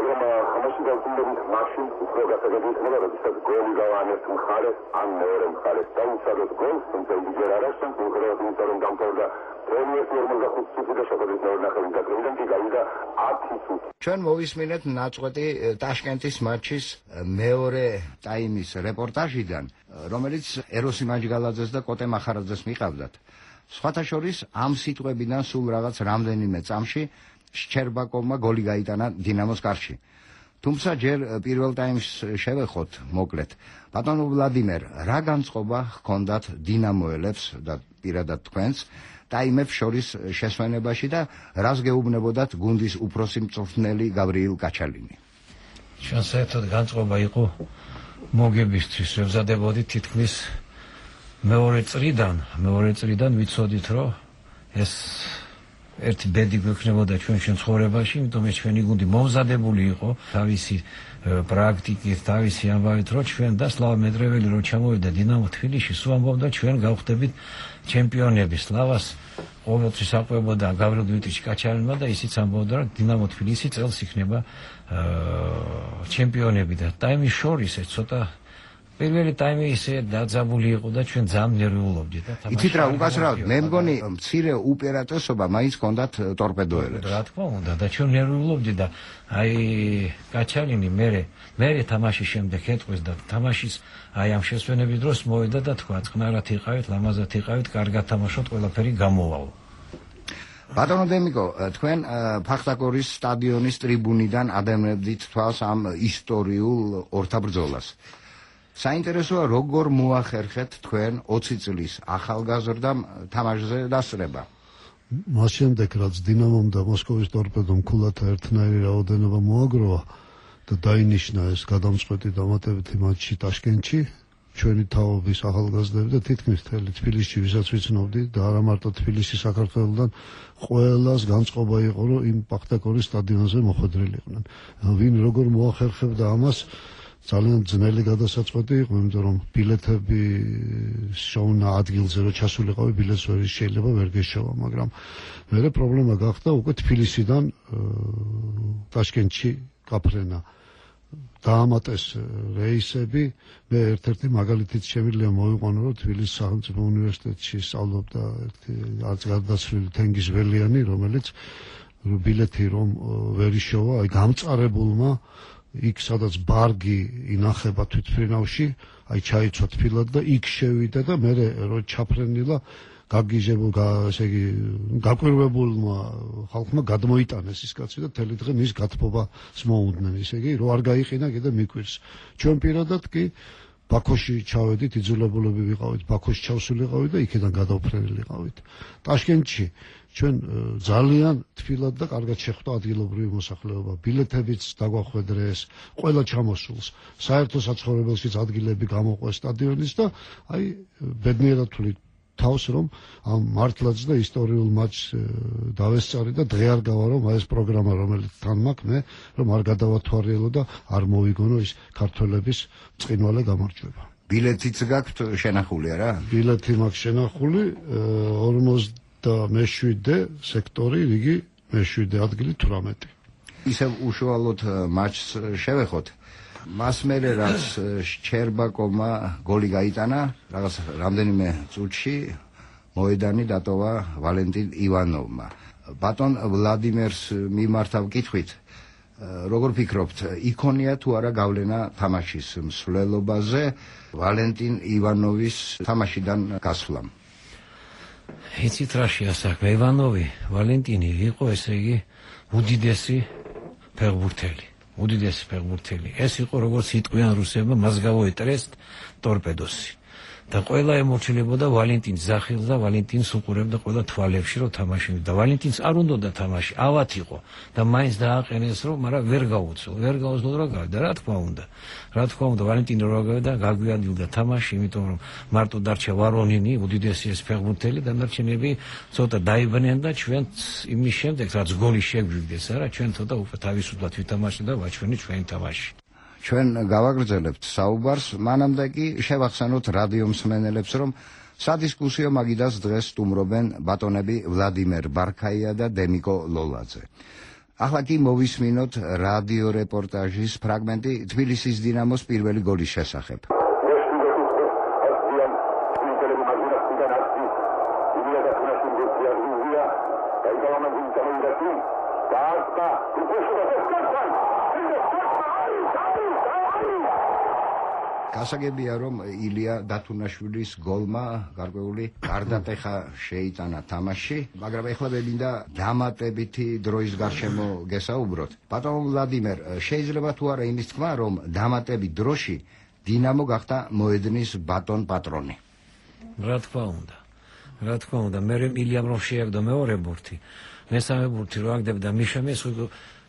მაგრამ ხმაში დავწუნდებით მაშინ უფრო გასაგებია, როდესაც გოლი გავანებს მხარეს ან მეორე მხარეს დაუცადოთ გოლს, თუმცა იგი არ არსებობს, უბრალოდ რომ დამთავრდა 45 წუთი და შეფერდა ნახევარი დაკლიდან კი გავიდა 10 წუთი. ჩვენ მოვისმინეთ ნაწყვეტი ტაშკენტის მატჩის მეორე ტაიმის რეპორტაჟიდან, რომელიც ეროსი მაჯგალაძეს და კოტე მახარაძეს მიყავდათ. სხვათა შორის ამ სიტყვებიდან სულ რაღაც რამდენიმე წამში შჩერბაკოვმა გოლი გაიტანა დინამოს კარში. თუმცა ჯერ პირველ ტაიმს შევეხოთ მოკლედ. ბატონო ვლადიმერ, რა განწყობა ჰქონდათ დინამოელებს და პირადად თქვენს ტაიმებს შორის შესვენებაში და რას გეუბნებოდათ გუნდის უფროსი მწვრთნელი გაბრიელ გაჩალინი? ჩვენ საერთოდ განწყობა იყო მოგებისთვის, ვზადებოდით თითქმის მეორე წრიდან ვიცოდით, რომ ეს ერთი ბედი გვექნებოდა ჩვენ ცხოვრებაში, იმიტომ ეს ჩვენი გუნდი მომზადებული იყო თავისი პრაქტიკით, თავისი ამბავით, რომ ჩვენ და სლავა მეტრეველი რო ჩამოვიდა დინამო თბილისში, სულ ამბობდა ჩვენ გავხდებით ჩემპიონები. სლავას ყოველთვის აყვებოდა გავრილ დმიტრიჩ კაჩალინმა და ისიც ამბობდა, რომ დინამო თბილისი წელს იქნება ჩემპიონები და ტაიმის შორის ეს ცოტა პირველი ტაიმი ისე დაძაბული იყო და ჩვენ ძალიან ნერვიულობდით და თამაში. იცით რა უკასრავად, მე მგონი მცირე უპირატესობა მაინც ჰქონდათ ტორპედოელებს. რა თქმა უნდა და ჩვენ ნერვიულობდით და აი კაჩალინი მე თამაშის შემდეგ ეთყვის და თამაშის აი ამ შესვენების დროს მოვიდა და თქვა წყნარად იყავით, ლამაზად იყავით, კარგად თამაშობთ, ყველაფერი გამოვალ. ბატონო დემიკო, თქვენ ფახტაკორის სტადიონის ტრიბუნიდან ადევნებდით თვალს ამ ისტორიულ ორთაბრძოლას. საინტერესოა როგორ მოახერხეთ თქვენ 20 წლის ახალგაზრდამ თამაშზე დასწრება. მას შემდეგ რაც დინამომ და მოსკოვის ტორპედომ ქულათა ერთნაირი რაოდენობა მოაგროვა და დაინიშნა ეს გადამწყვეტი დამატებითი მატჩი ტაშკენტში, ჩვენი თაობის ახალგაზრდები და თითქმის მთელი თბილისში ვისაც ვიცნობდი და არა მარტო თბილისში, საქართველოდან ყველას განწყობა იყო, რომ იმ ფახტაკორის სტადიონზე მოხვედრილიყვნენ. ვინ როგორ მოახერხებდა ამას, ძალიან ძნელი გადასაწყვეტი იყო, იმიტომ რომ ბილეთები შოვნა ადგილზე რომ ჩასულიყავი, ბილეთს შეიძლება ვერ გეშოვა, მაგრამ მერე პრობლემა გახდა უკვე თბილისიდან ტაშკენტში გაფრენა. დაამატეს რეისები, მე ერთ-ერთი მაგალითიც შემიძლია მოვიყვანო, რომ თბილისის სახელმწიფო უნივერსიტეტში სწავლობდა ერთი არც გარდაცვლილი თენგიზ ველიანი, რომელიც ბილეთი რომ ვერ იშოვა, აი გამწარებულმა იქ სადაც ბარგი ინახება თვითმფრინავში, აი ჩაიცვა თბილად და იქ შევიდა და მე რო ჩაფრენილა გაგიჟებულ, ესე იგი, გაკვირვებულმა ხალხმა გადმოიტანეს ის კაცი და თელი დღე მის გათბობას მოუნდნენ, ისე იგი, რო არ გაიყინა კიდე მიკვირს. ჩვენ პირადად კი ბაქოში ჩავედით, იძულებულები ვიყავით, ბაქოში ჩავსულიყავით და იქიდან გადავფრენილიყავით. ტაშკენტში ჩვენ ძალიან თბილად და კარგად შეხვდა ადგილობრივი მოსახლეობა. ბილეთებიც დაგვახვედრეს, ყველა ჩამოსულს. საერთო საცხოვრებელშიც ადგილები გამოყვეს სტადიონის და აი ბედნიერად თვლით თავს რომ ამ მართლაც და ისტორიულ მატჩს დავესწარი და დღე არ გავა რომ ეს პროგრამა რომელიც თან მაქვს მე რომ არ გადავათვალიერო და არ მოვიგონო ის ქართველების წინვალე გამარჯვება. ბილეთიც გაქვთ შენახული არა? ბილეთი მაქვს შენახული 47 სექტორი, რიგი მე-7 ადგილი 18. ისევ უშუალოდ მატჩს შევეხოთ. მას მერე რაც შჩერბაკოვმა გოლი გაიტანა, რაღაც რამდენიმე წუთში მოედანი დატოვა ვალენტინ ივანოვმა. ბატონ ვლადიმერს მიმართავ კითხვით, როგორ ფიქრობთ, იქონია თუ არა გავლენა თამაშის მსვლელობაზე ვალენტინ ივანოვის თამაშიდან გასვლამ? იცით რაშია საქმე, ივანოვი, ვალენტინი იყო ესე იგი უდიდესი ფეხბურთელი. უდიდესი ფეხბურთელი. ეს იყო როგორც იტყვიან რუსებმა, მას გავოეტრეს ტორპედოსი. და ყველა ემორჩილებოდა ვალენტინს ზახილს და ვალენტინს უყურებდა ყველა თვალებში რომ თამაშობდა. და ვალენტინს არ უნდოდა თამაში, ავად იყო და მაინც დააყენეს რომ, მაგრამ ვერ გაუძლო რა გავიდა, რა თქმა უნდა. რა თქმა უნდა, ვალენტინი რო გავიდა, გაგვიანილდა თამაში, იმიტომ რომ მარტო დარჩა ვარონინი, უდიდესი ეს ფეხბურთელი და დარჩენები ცოტა დაიბნენ და ჩვენ იმის შემდეგ რაც გოლი შეგვიგდეს, არა, ჩვენ ცოტა უკვე თავისუფლად ვითამაშეთ და ვაჩვენეთ ჩვენი თამაში. ჩვენ გავაგრძელებთ საუბარს, მანამდე კი შევახსენოთ რადიო მსმენელებს, რომ სადისკუსიო მაგიდას დღეს სტუმრობენ ბატონები ვლადიმერ ბარქაია და დემიკო ლოლაძე. ახლა კი მოვისმინოთ რადიო რეპორტაჟის ფრაგმენტი თბილისის დინამოს პირველი გოლის შესახებ. გასაგებია რომ ილია დათუნაშვილის გოლმა გარკვეული გარდატეხა შეიტანა თამაში, მაგრამ ეხლა მემინდა დამატებითი დროის გარშემო გესაუბროთ. ბატონო ვლადიმერ, შეიძლება თუ არა იმის თქმა, რომ დამატებით დროში დინამო გახდა მოედნის ბატონ პატრონი? რა თქმა უნდა. რა თქმა უნდა, მე ილიამ რომ შეაგდო მეორე ბურთი, მესამე ბურთი რო აგდებდა მიშამეს,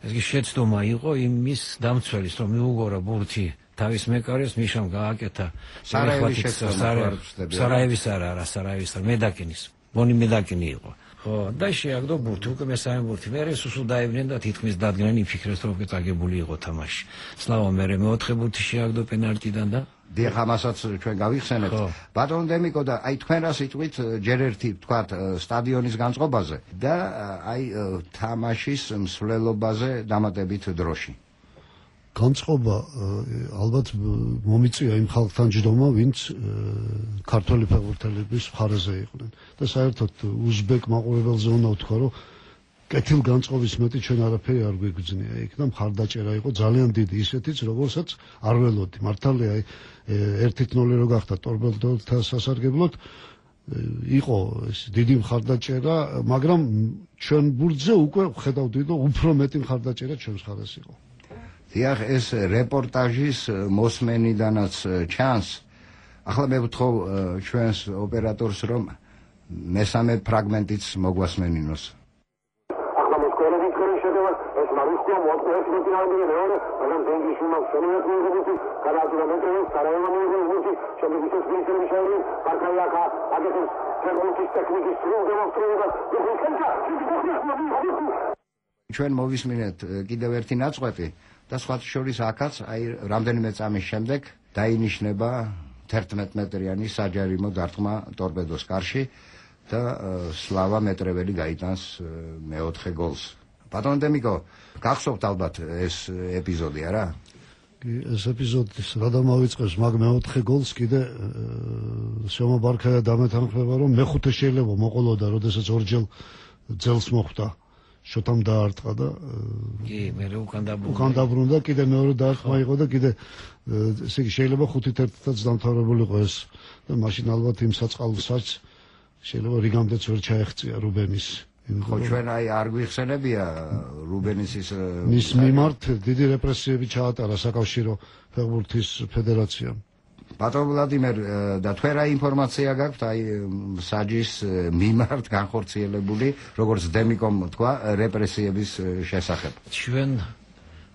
ეს კი შეცდომა იყო იმის დამცველის, რომ მიუგორა ბურთი თავის მეკარეს, მიშამ გააკეთა სარაევის არა, სარაევის მედაკინის, მონი მედაკინი იყო. ხო, და შეაგდო ბურთი, უკვე მესამე ბურთი. მერე სუსუ დაიბრნენ და თითქმის დადგნენ, იფიქრეს რომ წაგებული იყო თამაში. სლავა მერე მეოთხე ბურთი შეაგდო პენალტიდან და დიახ, ამასაც ჩვენ გავიხსენებთ. ბატონ დემიკო და აი თქვენ რა სიტყვით ჯერ ერთი თქვათ სტადიონის განწყობაზე და აი თამაშის მსვლელობაზე დამატებით დროში. განწყობა ალბათ მომიწია იმ ხალხთან ჯდომა, ვინც ქართველი ფეხბურთელების მხარეზე იყვნენ. და საერთოდ უზბეკ მაყურებელზე უნდა ვთქვა, რომ კეთილ განწყობის მეტი ჩვენ არაფერი არ გვიგრძნია იქ და მხარდაჭერა იყო ძალიან დიდი, ისეთიც როგორცაც არ ველოდი. მართალია 1-0 რო გახდა ტორპედოთა სასარგებლოდ იყო ეს დიდი მხარდაჭერა, მაგრამ ჩვენ ბურთზე უკვე ხედავდი, რომ უფრო მეტი მხარდაჭერა ჩვენს მხარეს იყო. დიახ, ეს რეპორტაჟის მოსმენიდანაც ჩანს. ახლა მე ვთხოვ ჩვენს ოპერატორს, რომ მესამე ფრაგმენტიც მოგვასმენინოს. ჩვენ მოვისმინეთ კიდევ ერთი ნაწყვეტი და სხვათა შორის აქაც აი რამდენიმე წამის შემდეგ დაინიშნება 11 მეტრიანი საჯარიმო დარტყმა ტორპედოს კარში და სლავა მეტრეველი გაიტანს მეოთხე გოლს. ბატონო დემიკო, გახსოვთ ალბათ ეს ეპიზოდი, არა? ეს ეპიზოდის რა დამავიწყებს, მაგ მეოთხე გოლს კიდე სიომა ბარქაია დამეთანხმება, რომ მეხუთე შეიძლება მოყოლოდა, როდესაც ორჯერ ძელს მოხვდა. შოთამ დაარტყა და კი, მე უკან დაბრუნდა, კიდე მეორე დაარტყმა იყო და კიდე ესე იგი შეიძლება 5-1-ად დამთავრებულიყო ეს და მაშინ ალბათ იმ საწყალსაც შეიძლება რიგამდეც ვერ ჩაეღწია რუბენის. ხო, ჩვენ აი არ გვიხსენებია რუბენისის მის მიმართ დიდი რეპრესიები ჩაატარა საკავშირო ფეხბურთის ფედერაციამ. ბატონ ვლადიმერ, და თქვენ რა ინფორმაცია გაქვთ აი საჯის მიმართ განხორციელებული, როგორც დემიკომ თქვა, რეპრესიების შესახებ? ჩვენ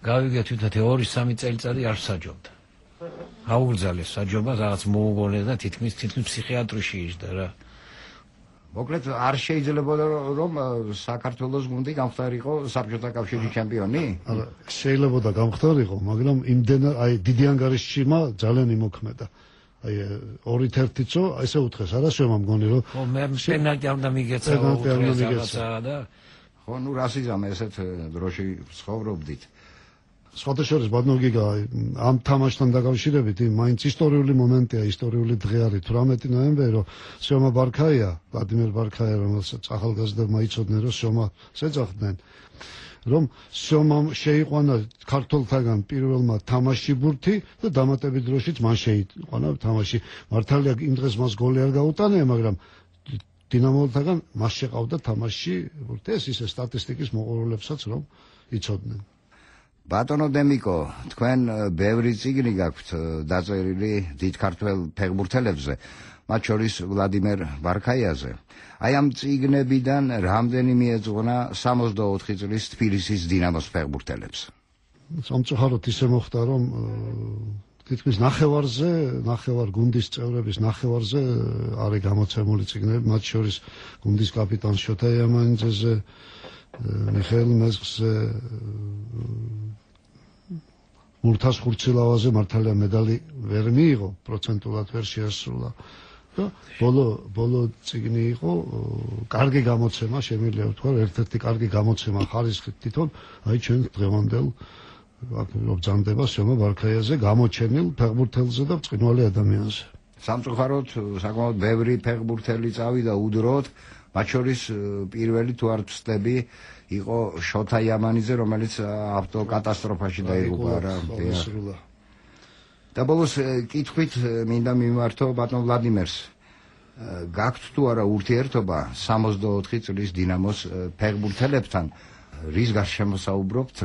გავიგეთ თვითონ 2-3 წელიწადი არ საჯობდა. აუგრძალეს საჯობა, რაღაც მოუგონეს და თითქმის ფსიქიატრში იჯდა რა. მოკლედ არ შეიძლება რომ საქართველოს გუნდი გამختارიყო საბჭოთა კავშირის ჩემპიონი? არა, შეიძლება გამختارიყო, მაგრამ იმდენად აი დიდი ანგარიშშიმა ძალიან იმოქმედა. აი 2-1-იცო, ესე უთხეს, არა შევამ მგონი რომ ხო, მე პენალტი არ უნდა მიგეცა და ხო, ნუ რასიზამ ესეთ დროში ცხოვრობდით. სხვათა შორის ბატონო გიგა, ამ თამაშთან დაკავშირებით მაინც ისტორიული მომენტია, ისტორიული დღე არის 18 ნოემბერი, რომ სიომა ბარქაია, ვლადიმერ ბარქაია, რომელსაც ახალგაზრდებმა იცოდნენ, რომ სიომას ეძახდნენ, რომ სიომამ შეიყვანა ქართველთაგან პირველმა თამაში ბურთი და დამატებით დროშიც მან შეიყვანა თამაში. მართალია იმ დღეს მას გოლი არ გაუტანია, მაგრამ დინამოლთაგან მას შეყავდა თამაში ბურთი. ეს ისე სტატისტიკის მოყორულებსაც რომ იცოდნენ. ბატონო დემიკო, თქვენ ბევრი წიგნი გაქვთ დაწერილი დიდ ქართველ ფეხბურთელებზე, მათ შორის ვლადიმერ ბარქაიაზე. აი ამ წიგნებიდან რამდენიმე ეძღვნა 64 წლის თბილისის დინამოს ფეხბურთელებს? სამწუხაროდ ისე მოხდა, რომ თითქმის ნახევარ გუნდის წევრების ნახევარზე არის გამოცემული წიგნები, მათ შორის გუნდის კაპიტან შოთა იამანიძეზე, მიხეილ მეზგზე, მურთას ხურცილავაზე მართალია медаლი ვერ მიიღო, პროცენტულად ვერ შეასრულა. და ბოლო წიგნი იყო, კარგი გამოცემა, შემიძლია ვთქვა, ერთ-ერთი კარგი გამოცემა ხარისხით თვითონ, აი ჩვენ დღევანდელ ბრძანდება სიომა ბარქაიაზე, გამოჩენილ ფეხბურთელზე და ბრწყინვალე ადამიანზე. სამწუხაროდ საკმაოდ ბევრი ფეხბურთელი წავიდა უდროდ, მათ შორის პირველი თუ არ ვცდები იყო შოთა იამანიძე, რომელიც ავტოკატასტროფაში დაიღუპა რა. და ბოლოს კითხვით მინდა მიმართო ბატონ ვლადიმერს. გაქვთ თუ არა ურთიერთობა 64 წლის დინამოს ფეხბურთელებთან? რის გარშემო საუბრობთ?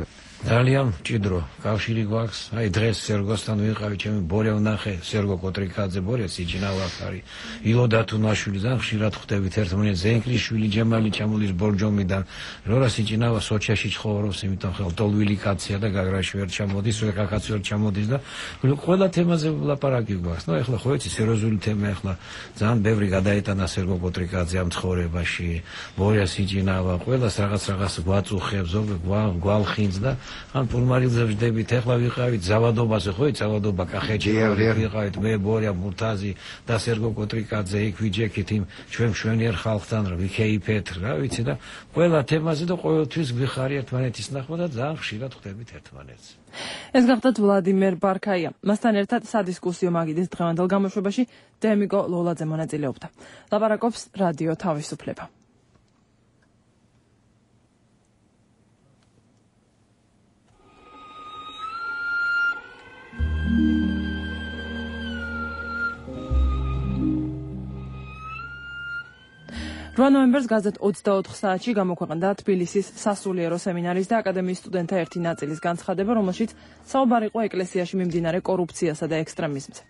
ძალიან მჭიდრო კავშირი გვაქვს. აი დღეს სერგოსთან ვიყავი, ჩემი ბორე ვნახე, სერგო კოტრიკაძე ბორე სიჯინავას არის. ილოდა თუნაშვილი ძალიან ხშირად ხვდებით ერთმანეთს, ზენკლიშვილი ჯემალი ჩამოდის ბორჯომიდან. რორა სიჯინავა სოჩიაში ცხოვრობს, იმიტომ ხელ ტოლვილი კაცია და გაგრაში ვერ ჩამოდის, ვეკაკაც ვერ ჩამოდის და ყველა თემაზე ვლაპარაკი გვაქვს. ნუ ეხლა ხო იცი სერიოზული თემა, ეხლა ძალიან ბევრი გადაეტანა სერგო კოტრიკაძე ამ ცხოვრებაში, ბორე სიჯინავა, ყველას რაღაც გვაწუხებს, გვალხინს და ან პულმარილზე ვждებით, ეხლა ვიყავით ზავადობაზე, ხო, ზავადობა კახეთში ვიყავით, მე ბორია მურთაზი და სერგო კოტრიკაძე იქ ვიჯექით იმ ჩვენ მშვენიერ ხალხთან რა ვიქეიფეთ, რა ვიცი და ყველა თემაზე და ყოველთვის გვიხარი ერთმანეთის ნახვა და ძალიან ხშირად ხვდებით ერთმანეთს. ეს გახდათ ვლადიმერ ბარქაია. მასთან ერთად სადისკუსიო მაგიდის დღევანდელ გამოშვებაში დემიგო ლოლაძე მონაწილეობდა. ლაპარაკობს რადიო თავისუფლება. ნოემბერს გაზეთ 24 საათში გამოქვეყნდა თბილისის სასულიერო სემინარის და აკადემიის სტუდენტთა ერთი ნაწილის განცხადება, რომელშიც საუბარი იყო ეკლესიაში მიმდინარე კორუფციასა და ექსტრემიზმზე.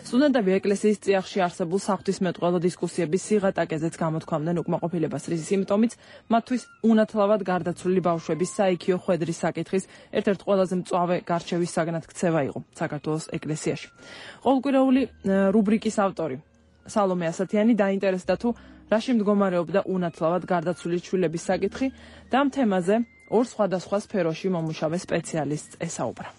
სტუდენტები ეკლესიის წიაღში არსებულ საღვთისმეტყველო დისკუსიების სიღატაკეზეც გამოთქვამდნენ უკმაყოფილებას, რის სიმპტომიც მათთვის უნათლავად გარდაცვლილი ბავშვების საიქიო ხვედრის საკითხის ერთ-ერთ ყველაზე მწვავე გარჩევის საგნად ქცევა იყო საქართველოს ეკლესიაში. ყოველკვირეული რუბრიკის ავტორი სალომე ასათიანი დაინტერესდა თუ რაში მდგომარეობდა უნათლავად გარდაცვლილი ჩვილების საკითხი და ამ თემაზე ორ სხვადასხვა სფეროში მომუშავე სპეციალისტს ესაუბრა.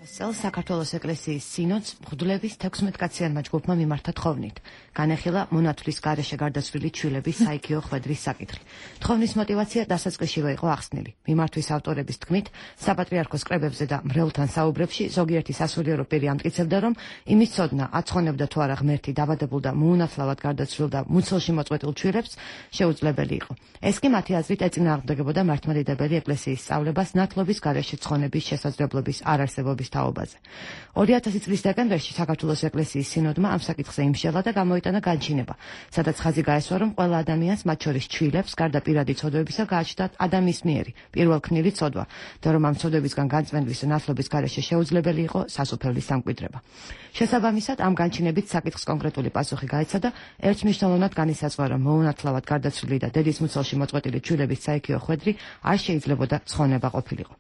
საქართველოს ეკლესიის სინოდს მღვდლების 16-კაციანმა ჯგუფმა მიმართა თხოვნით. განეხილა მონათვლის გარეშე გარდაცვლილი ჩვილების საიქიო ხვედრის საკითხი. თხოვნის мотиваცია დასაწყისშივე იყო ახსნილი. მიმართვის ავტორების თქმით, საპატრიარქოს კრებებზე და მრევლთან საუბრებში ზოგიერთი სასულიერო პირი ამტკიცებდა, რომ იმის ცოდნა აცხოვნებდა თუ არა ღმერთი დავადებულ და მოუნათლავად გარდაცვლილ და მუცელში მოწყვეტილ ჩვილებს შეუძლებელი იყო. ეს კი მათი აზრით ეწინააღმდეგებოდა მართლმადიდებელი ეკლესიის სწავლებას ნათლობის გარეშე ცხონების შესაძლებლობის არარსებობის თაობაზე. 2000 წლის დეკემბერში საქართველოს ეკლესიის სინოდმა ამ საკითხზე იმშელა და გამოიტანა განჩინება, სადაც ხაზი გაესვა, რომ ყველა ადამიანს, მათ შორის ჩვილებს, გარდა პირადი ცოდვებისა, გააჩნდათ ადამიანის მიერი პირველქმნილი ცოდვა და რომ ამ ცოდვებისგან განწმენდვის და ნათლობის გარეშე შეუძლებელი იყო სასუფეველის სამკვიდრება. შესაბამისად, ამ განჩინებით საკითხს კონკრეტული პასუხი გაეცა და ერთმნიშვნელოვნად განისაზღვრა, რომ მოუნათლავად გარდაცვლილი და დედის მუცელში მოწყვეტილი ჩვილების საიქიო ხვედრი არ შეიძლებოდა ცხონება ყოფილიყო.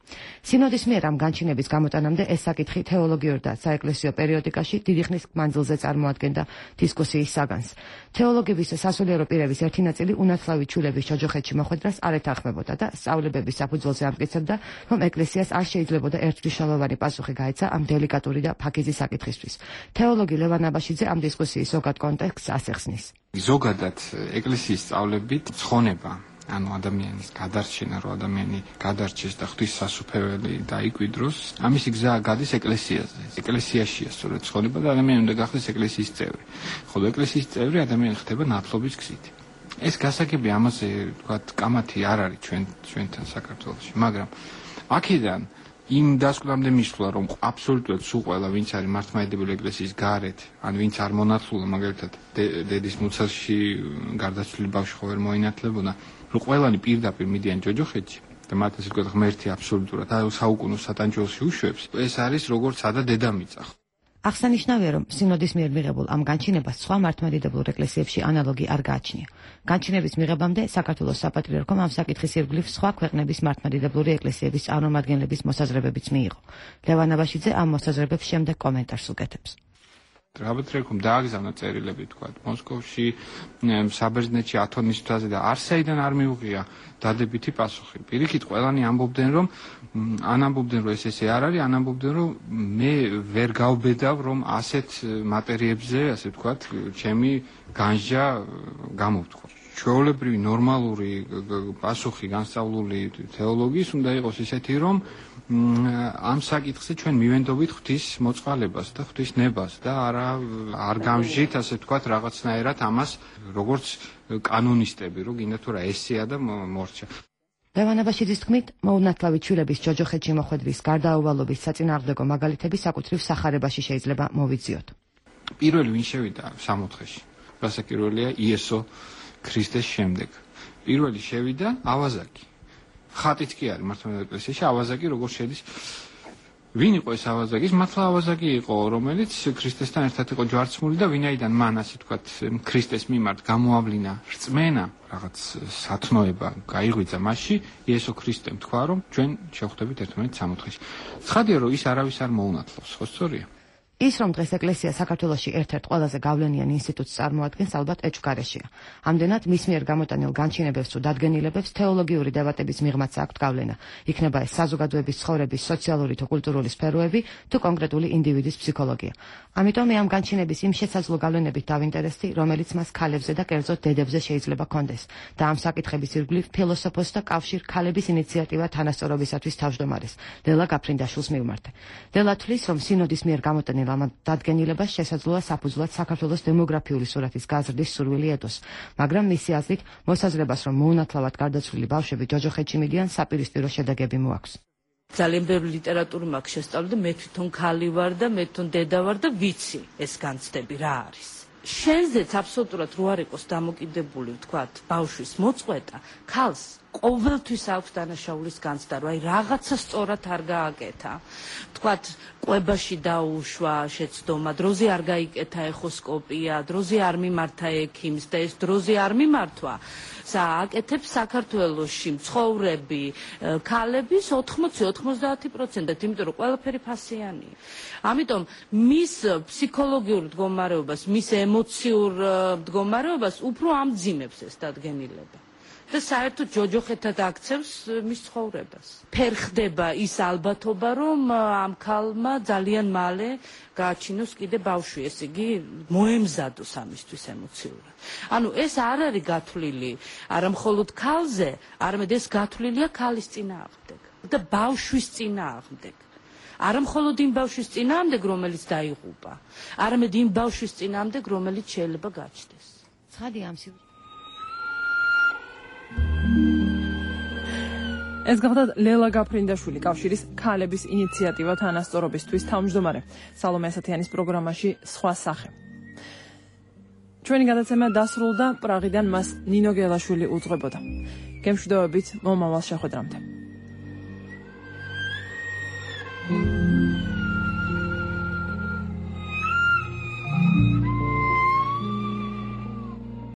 სინოდის მიერ ამ განჩინების გამოტანამდე ეს საკითხი თეოლოგიურ და საეკლესიო პერიოდიკაში დიდი ხნის მანძილზე წარმოადგენდა დისკუსიის საგანს. თეოლოგების და სასულიერო პირების ერთი ნაწილი უნათლავი ჩვილების ჯოჯოხეთში მოხვედრას არ ეთანხმებოდა და სწავლების საფუძველზე ამტკიცებდა, რომ ეკლესიას არ შეიძლებოდა ერთმნიშვნელოვანი პასუხი გაეცა ამ დელიკატური და ფაქიზი საკითხისთვის. თეოლოგი ლევან აბაშიძე ამ დისკუსიის ზოგად კონტექსტს ასახსნის. ზოგადად ეკლესიის სწავლებით ცხონება ანუ ადამიანის გადარჩენა, რომ ადამიანი გადარჩეს და ღვთის სასუფეველი დაიკვიდროს, ამისი გზა გადის ეკლესიაზე. ეკლესიაშია სწორედ ცხონება და ადამიანი უნდა გახდეს ეკლესიის წევრი. ხოლო ეკლესიის წევრი ადამიანი ხდება ნათლობის გზით. ეს გასაგები ამაზე, თქვათ, კამათი არ არის ჩვენთან საქართველოში, მაგრამ აქედან იმ დასკვნამდე მისვლა, რომ აბსოლუტურად სულ ყველა, ვინც არის მართლმადიდებელი ეკლესიის გარეთ, ან ვინც არ მონათლულა, მაგალითად, დედის მუცელში გარდაცვლილი ბავშვი ხო ვერ მოინათლებოდა, რომ ყველანი პირდაპირ მიდიან ჯოჯოხეთში და მათ ასე ვთქვათ, ღმერთი აბსოლუტურად საუკუნო სატანჯველში უშვებს, ეს არის როგორც სადა დედამიწა. აღსანიშნავია, რომ სინოდის მიერ მიღებულ ამ განჩინებას სხვა მართლმადიდებლურ ეკლესიებში ანალოგი არ გააჩნია. განჩინების მიღებამდე საქართველოს საპატრიარქომ ამ საკითხის ირგვლივ სხვა ქვეყნების მართლმადიდებლური ეკლესიების წარმომადგენლების მოსაზრებებიც მიიღო. ლევან აბაშიძე ამ მოსაზრებებს შემდეგ კომენტარს უკეთებს. საპატრიარქომ დააგზავნა წერილები, თქვათ, მოსკოვში, საბერძნეთში, ათონის მთაზე და არსაიდან არ მიუღია დადებითი პასუხი. პირიქით, ყველანი ამბობდნენ, რომ ესე არ არის, ამბობდნენ, რომ მე ვერ გავბედავ, რომ ასეთ მატერიებზე, ასე ვთქვათ, ჩემი განსჯა გამოვთქვა. ჩვეულებრივი ნორმალური პასუხი განსწავლული თეოლოგიის უნდა იყოს ისეთი, რომ ამ საკითხზე ჩვენ მივენდობით ღვთის მოწყალებას და ღვთის ნებას და არ გამჟით, ასე ვთქვათ, რაღაცნაირად ამას როგორც კანონისტები, რომ გინდა თუ რა ესეა და მორჩა. ლევან აბაშიძის თქმით, მოუნათლავი ჩვილების ჯოჯოხეთში მოხვედრის გარდაუვალობის საწინააღმდეგო მაგალითები საკუთრივ სახარებაში შეიძლება მოვიძიოთ. პირველი ვინ შევიდა სამოთხეში, რასაკირველია იესო ქრისტეს შემდეგ. პირველი შევიდა ავაზაკი. ხატიც კი არის მართლმადიდებლურ ეკლესიაში ავაზაკი როგორ შედის. ვინ იყო ეს ავაზაკი? ის მართლა ავაზაკი იყო, რომელიც ქრისტესთან ერთად იყო ჯვარცმული და ვინაიდან მან ასე ვთქვათ ქრისტეს მიმართ გამოავლინა რწმენა, რაღაც სათნოება გაიღვიძა მასში, იესო ქრისტემ თქვა, რომ ჩვენ შევხვდებით ერთმანეთს სამოთხეში. ცხადია, რომ ის არავის არ მოუნათლავს, ხო სწორია? ის რომ დღეს ეკლესია საქართველოში ერთ-ერთ ყველაზე გავლენიან ინსტიტუტს წარმოადგენს, ალბათ ეჭვგარეშეა. ამდენად მის მიერ გამოტანილ განჩინებებს თუ დადგენილებებს თეოლოგიური დებატების მიღმაც აქვთ გავლენა. იქნება ეს საზოგადოების ცხოვრების სოციალური თუ კულტურული სფეროები თუ კონკრეტული ინდივიდის ფსიქოლოგია. ამიტომ მე ამ განჩინების იმ შესაძლო გავლენებით დავინტერესდი, რომელიც მას ქალებზე და კერძოდ დედებზე შეიძლება კონდეს და ამ საკითხების ირგვლივ ფილოსოფოსს და კავშირ ქალების ინიციატივა თანასწორობისათვის თავმჯდომარეს ლელა გაფრინდაშვილს მივმართე. ლელა თვლის, რომ სინოდის მიერ გამოტანილ ამ დადგენილებას შესაძლოა საფუძვლად საქართველოს დემოგრაფიული სურათის გაზრდის სურვილი ედოს, მაგრამ მისი აზრით მოსაზრებას, რომ მოუნათლავად გარდაცვლილი ბავშვები ჯოჯოხეთში მიდიან, საპირისპირო შედეგები მოაქვს. ძალიან ბევრი ლიტერატურა მაქვს შესწავლილი და მე თვითონ ქალი ვარ და მე თვითონ დედა ვარ და ვიცი ეს განცდები რა არის. შენზეც აბსოლუტურად რო არ იყოს დამოკიდებული, ვთქვათ, ბავშვის მოწყვეტა, ქალს ყოველთვის აქვს დანაშაულის განცდა, რომ აი რაღაცა სწორად არ გააკეთა. ვთქვათ, კვებაში დაუშვა შეცდომა, დროზე არ გაიკეთა ეხოსკოპია, დროზე არ მიმართა ექიმს და ეს დროზე არ მიმართვა. აკეთებს საქართველოში მცხოვრები ქალების 80-90%, იმიტომ რომ ყველაფერი ფასიანია. ამიტომ მის ფსიქოლოგიურ მდგომარეობას, მის ემოციურ მდგომარეობას უფრო ამძიმებს ეს დადგენილება. და საერთოდ ჯოჯოხეთად აქცევს მის ცხოვრებას. ფერხდება ის ალბათობა, რომ ამ ქალმა ძალიან მალე გააჩინოს კიდე ბავშვი, ეს იგი მოემზადოს ამისთვის ემოციურად. ანუ ეს არ არის გათვლილი არა მხოლოდ ქალზე, არამედ ეს გათვლილია ქალის წინააღმდეგ და ბავშვის წინააღმდეგ. არა მხოლოდ იმ ბავშვის წინააღმდეგ, რომელიც დაიღუპა, არამედ იმ ბავშვის წინააღმდეგ, რომელიც შეიძლება გაჩნდეს. ცხადი ამ ეს გახდათ ლელა გაფრინდაშვილი, კავშირის ქალების ინიციატივა თანასწორობისთვის თავმჯდომარე. სალომე ასათიანის პროგრამაში სხვა სახე. ჩვენი გადაცემა დასრულდა, პრაღიდან მას ნინო გელაშვილი უძღვებოდა. გემშვიდობებით, მომავალ შეხვედრამდე.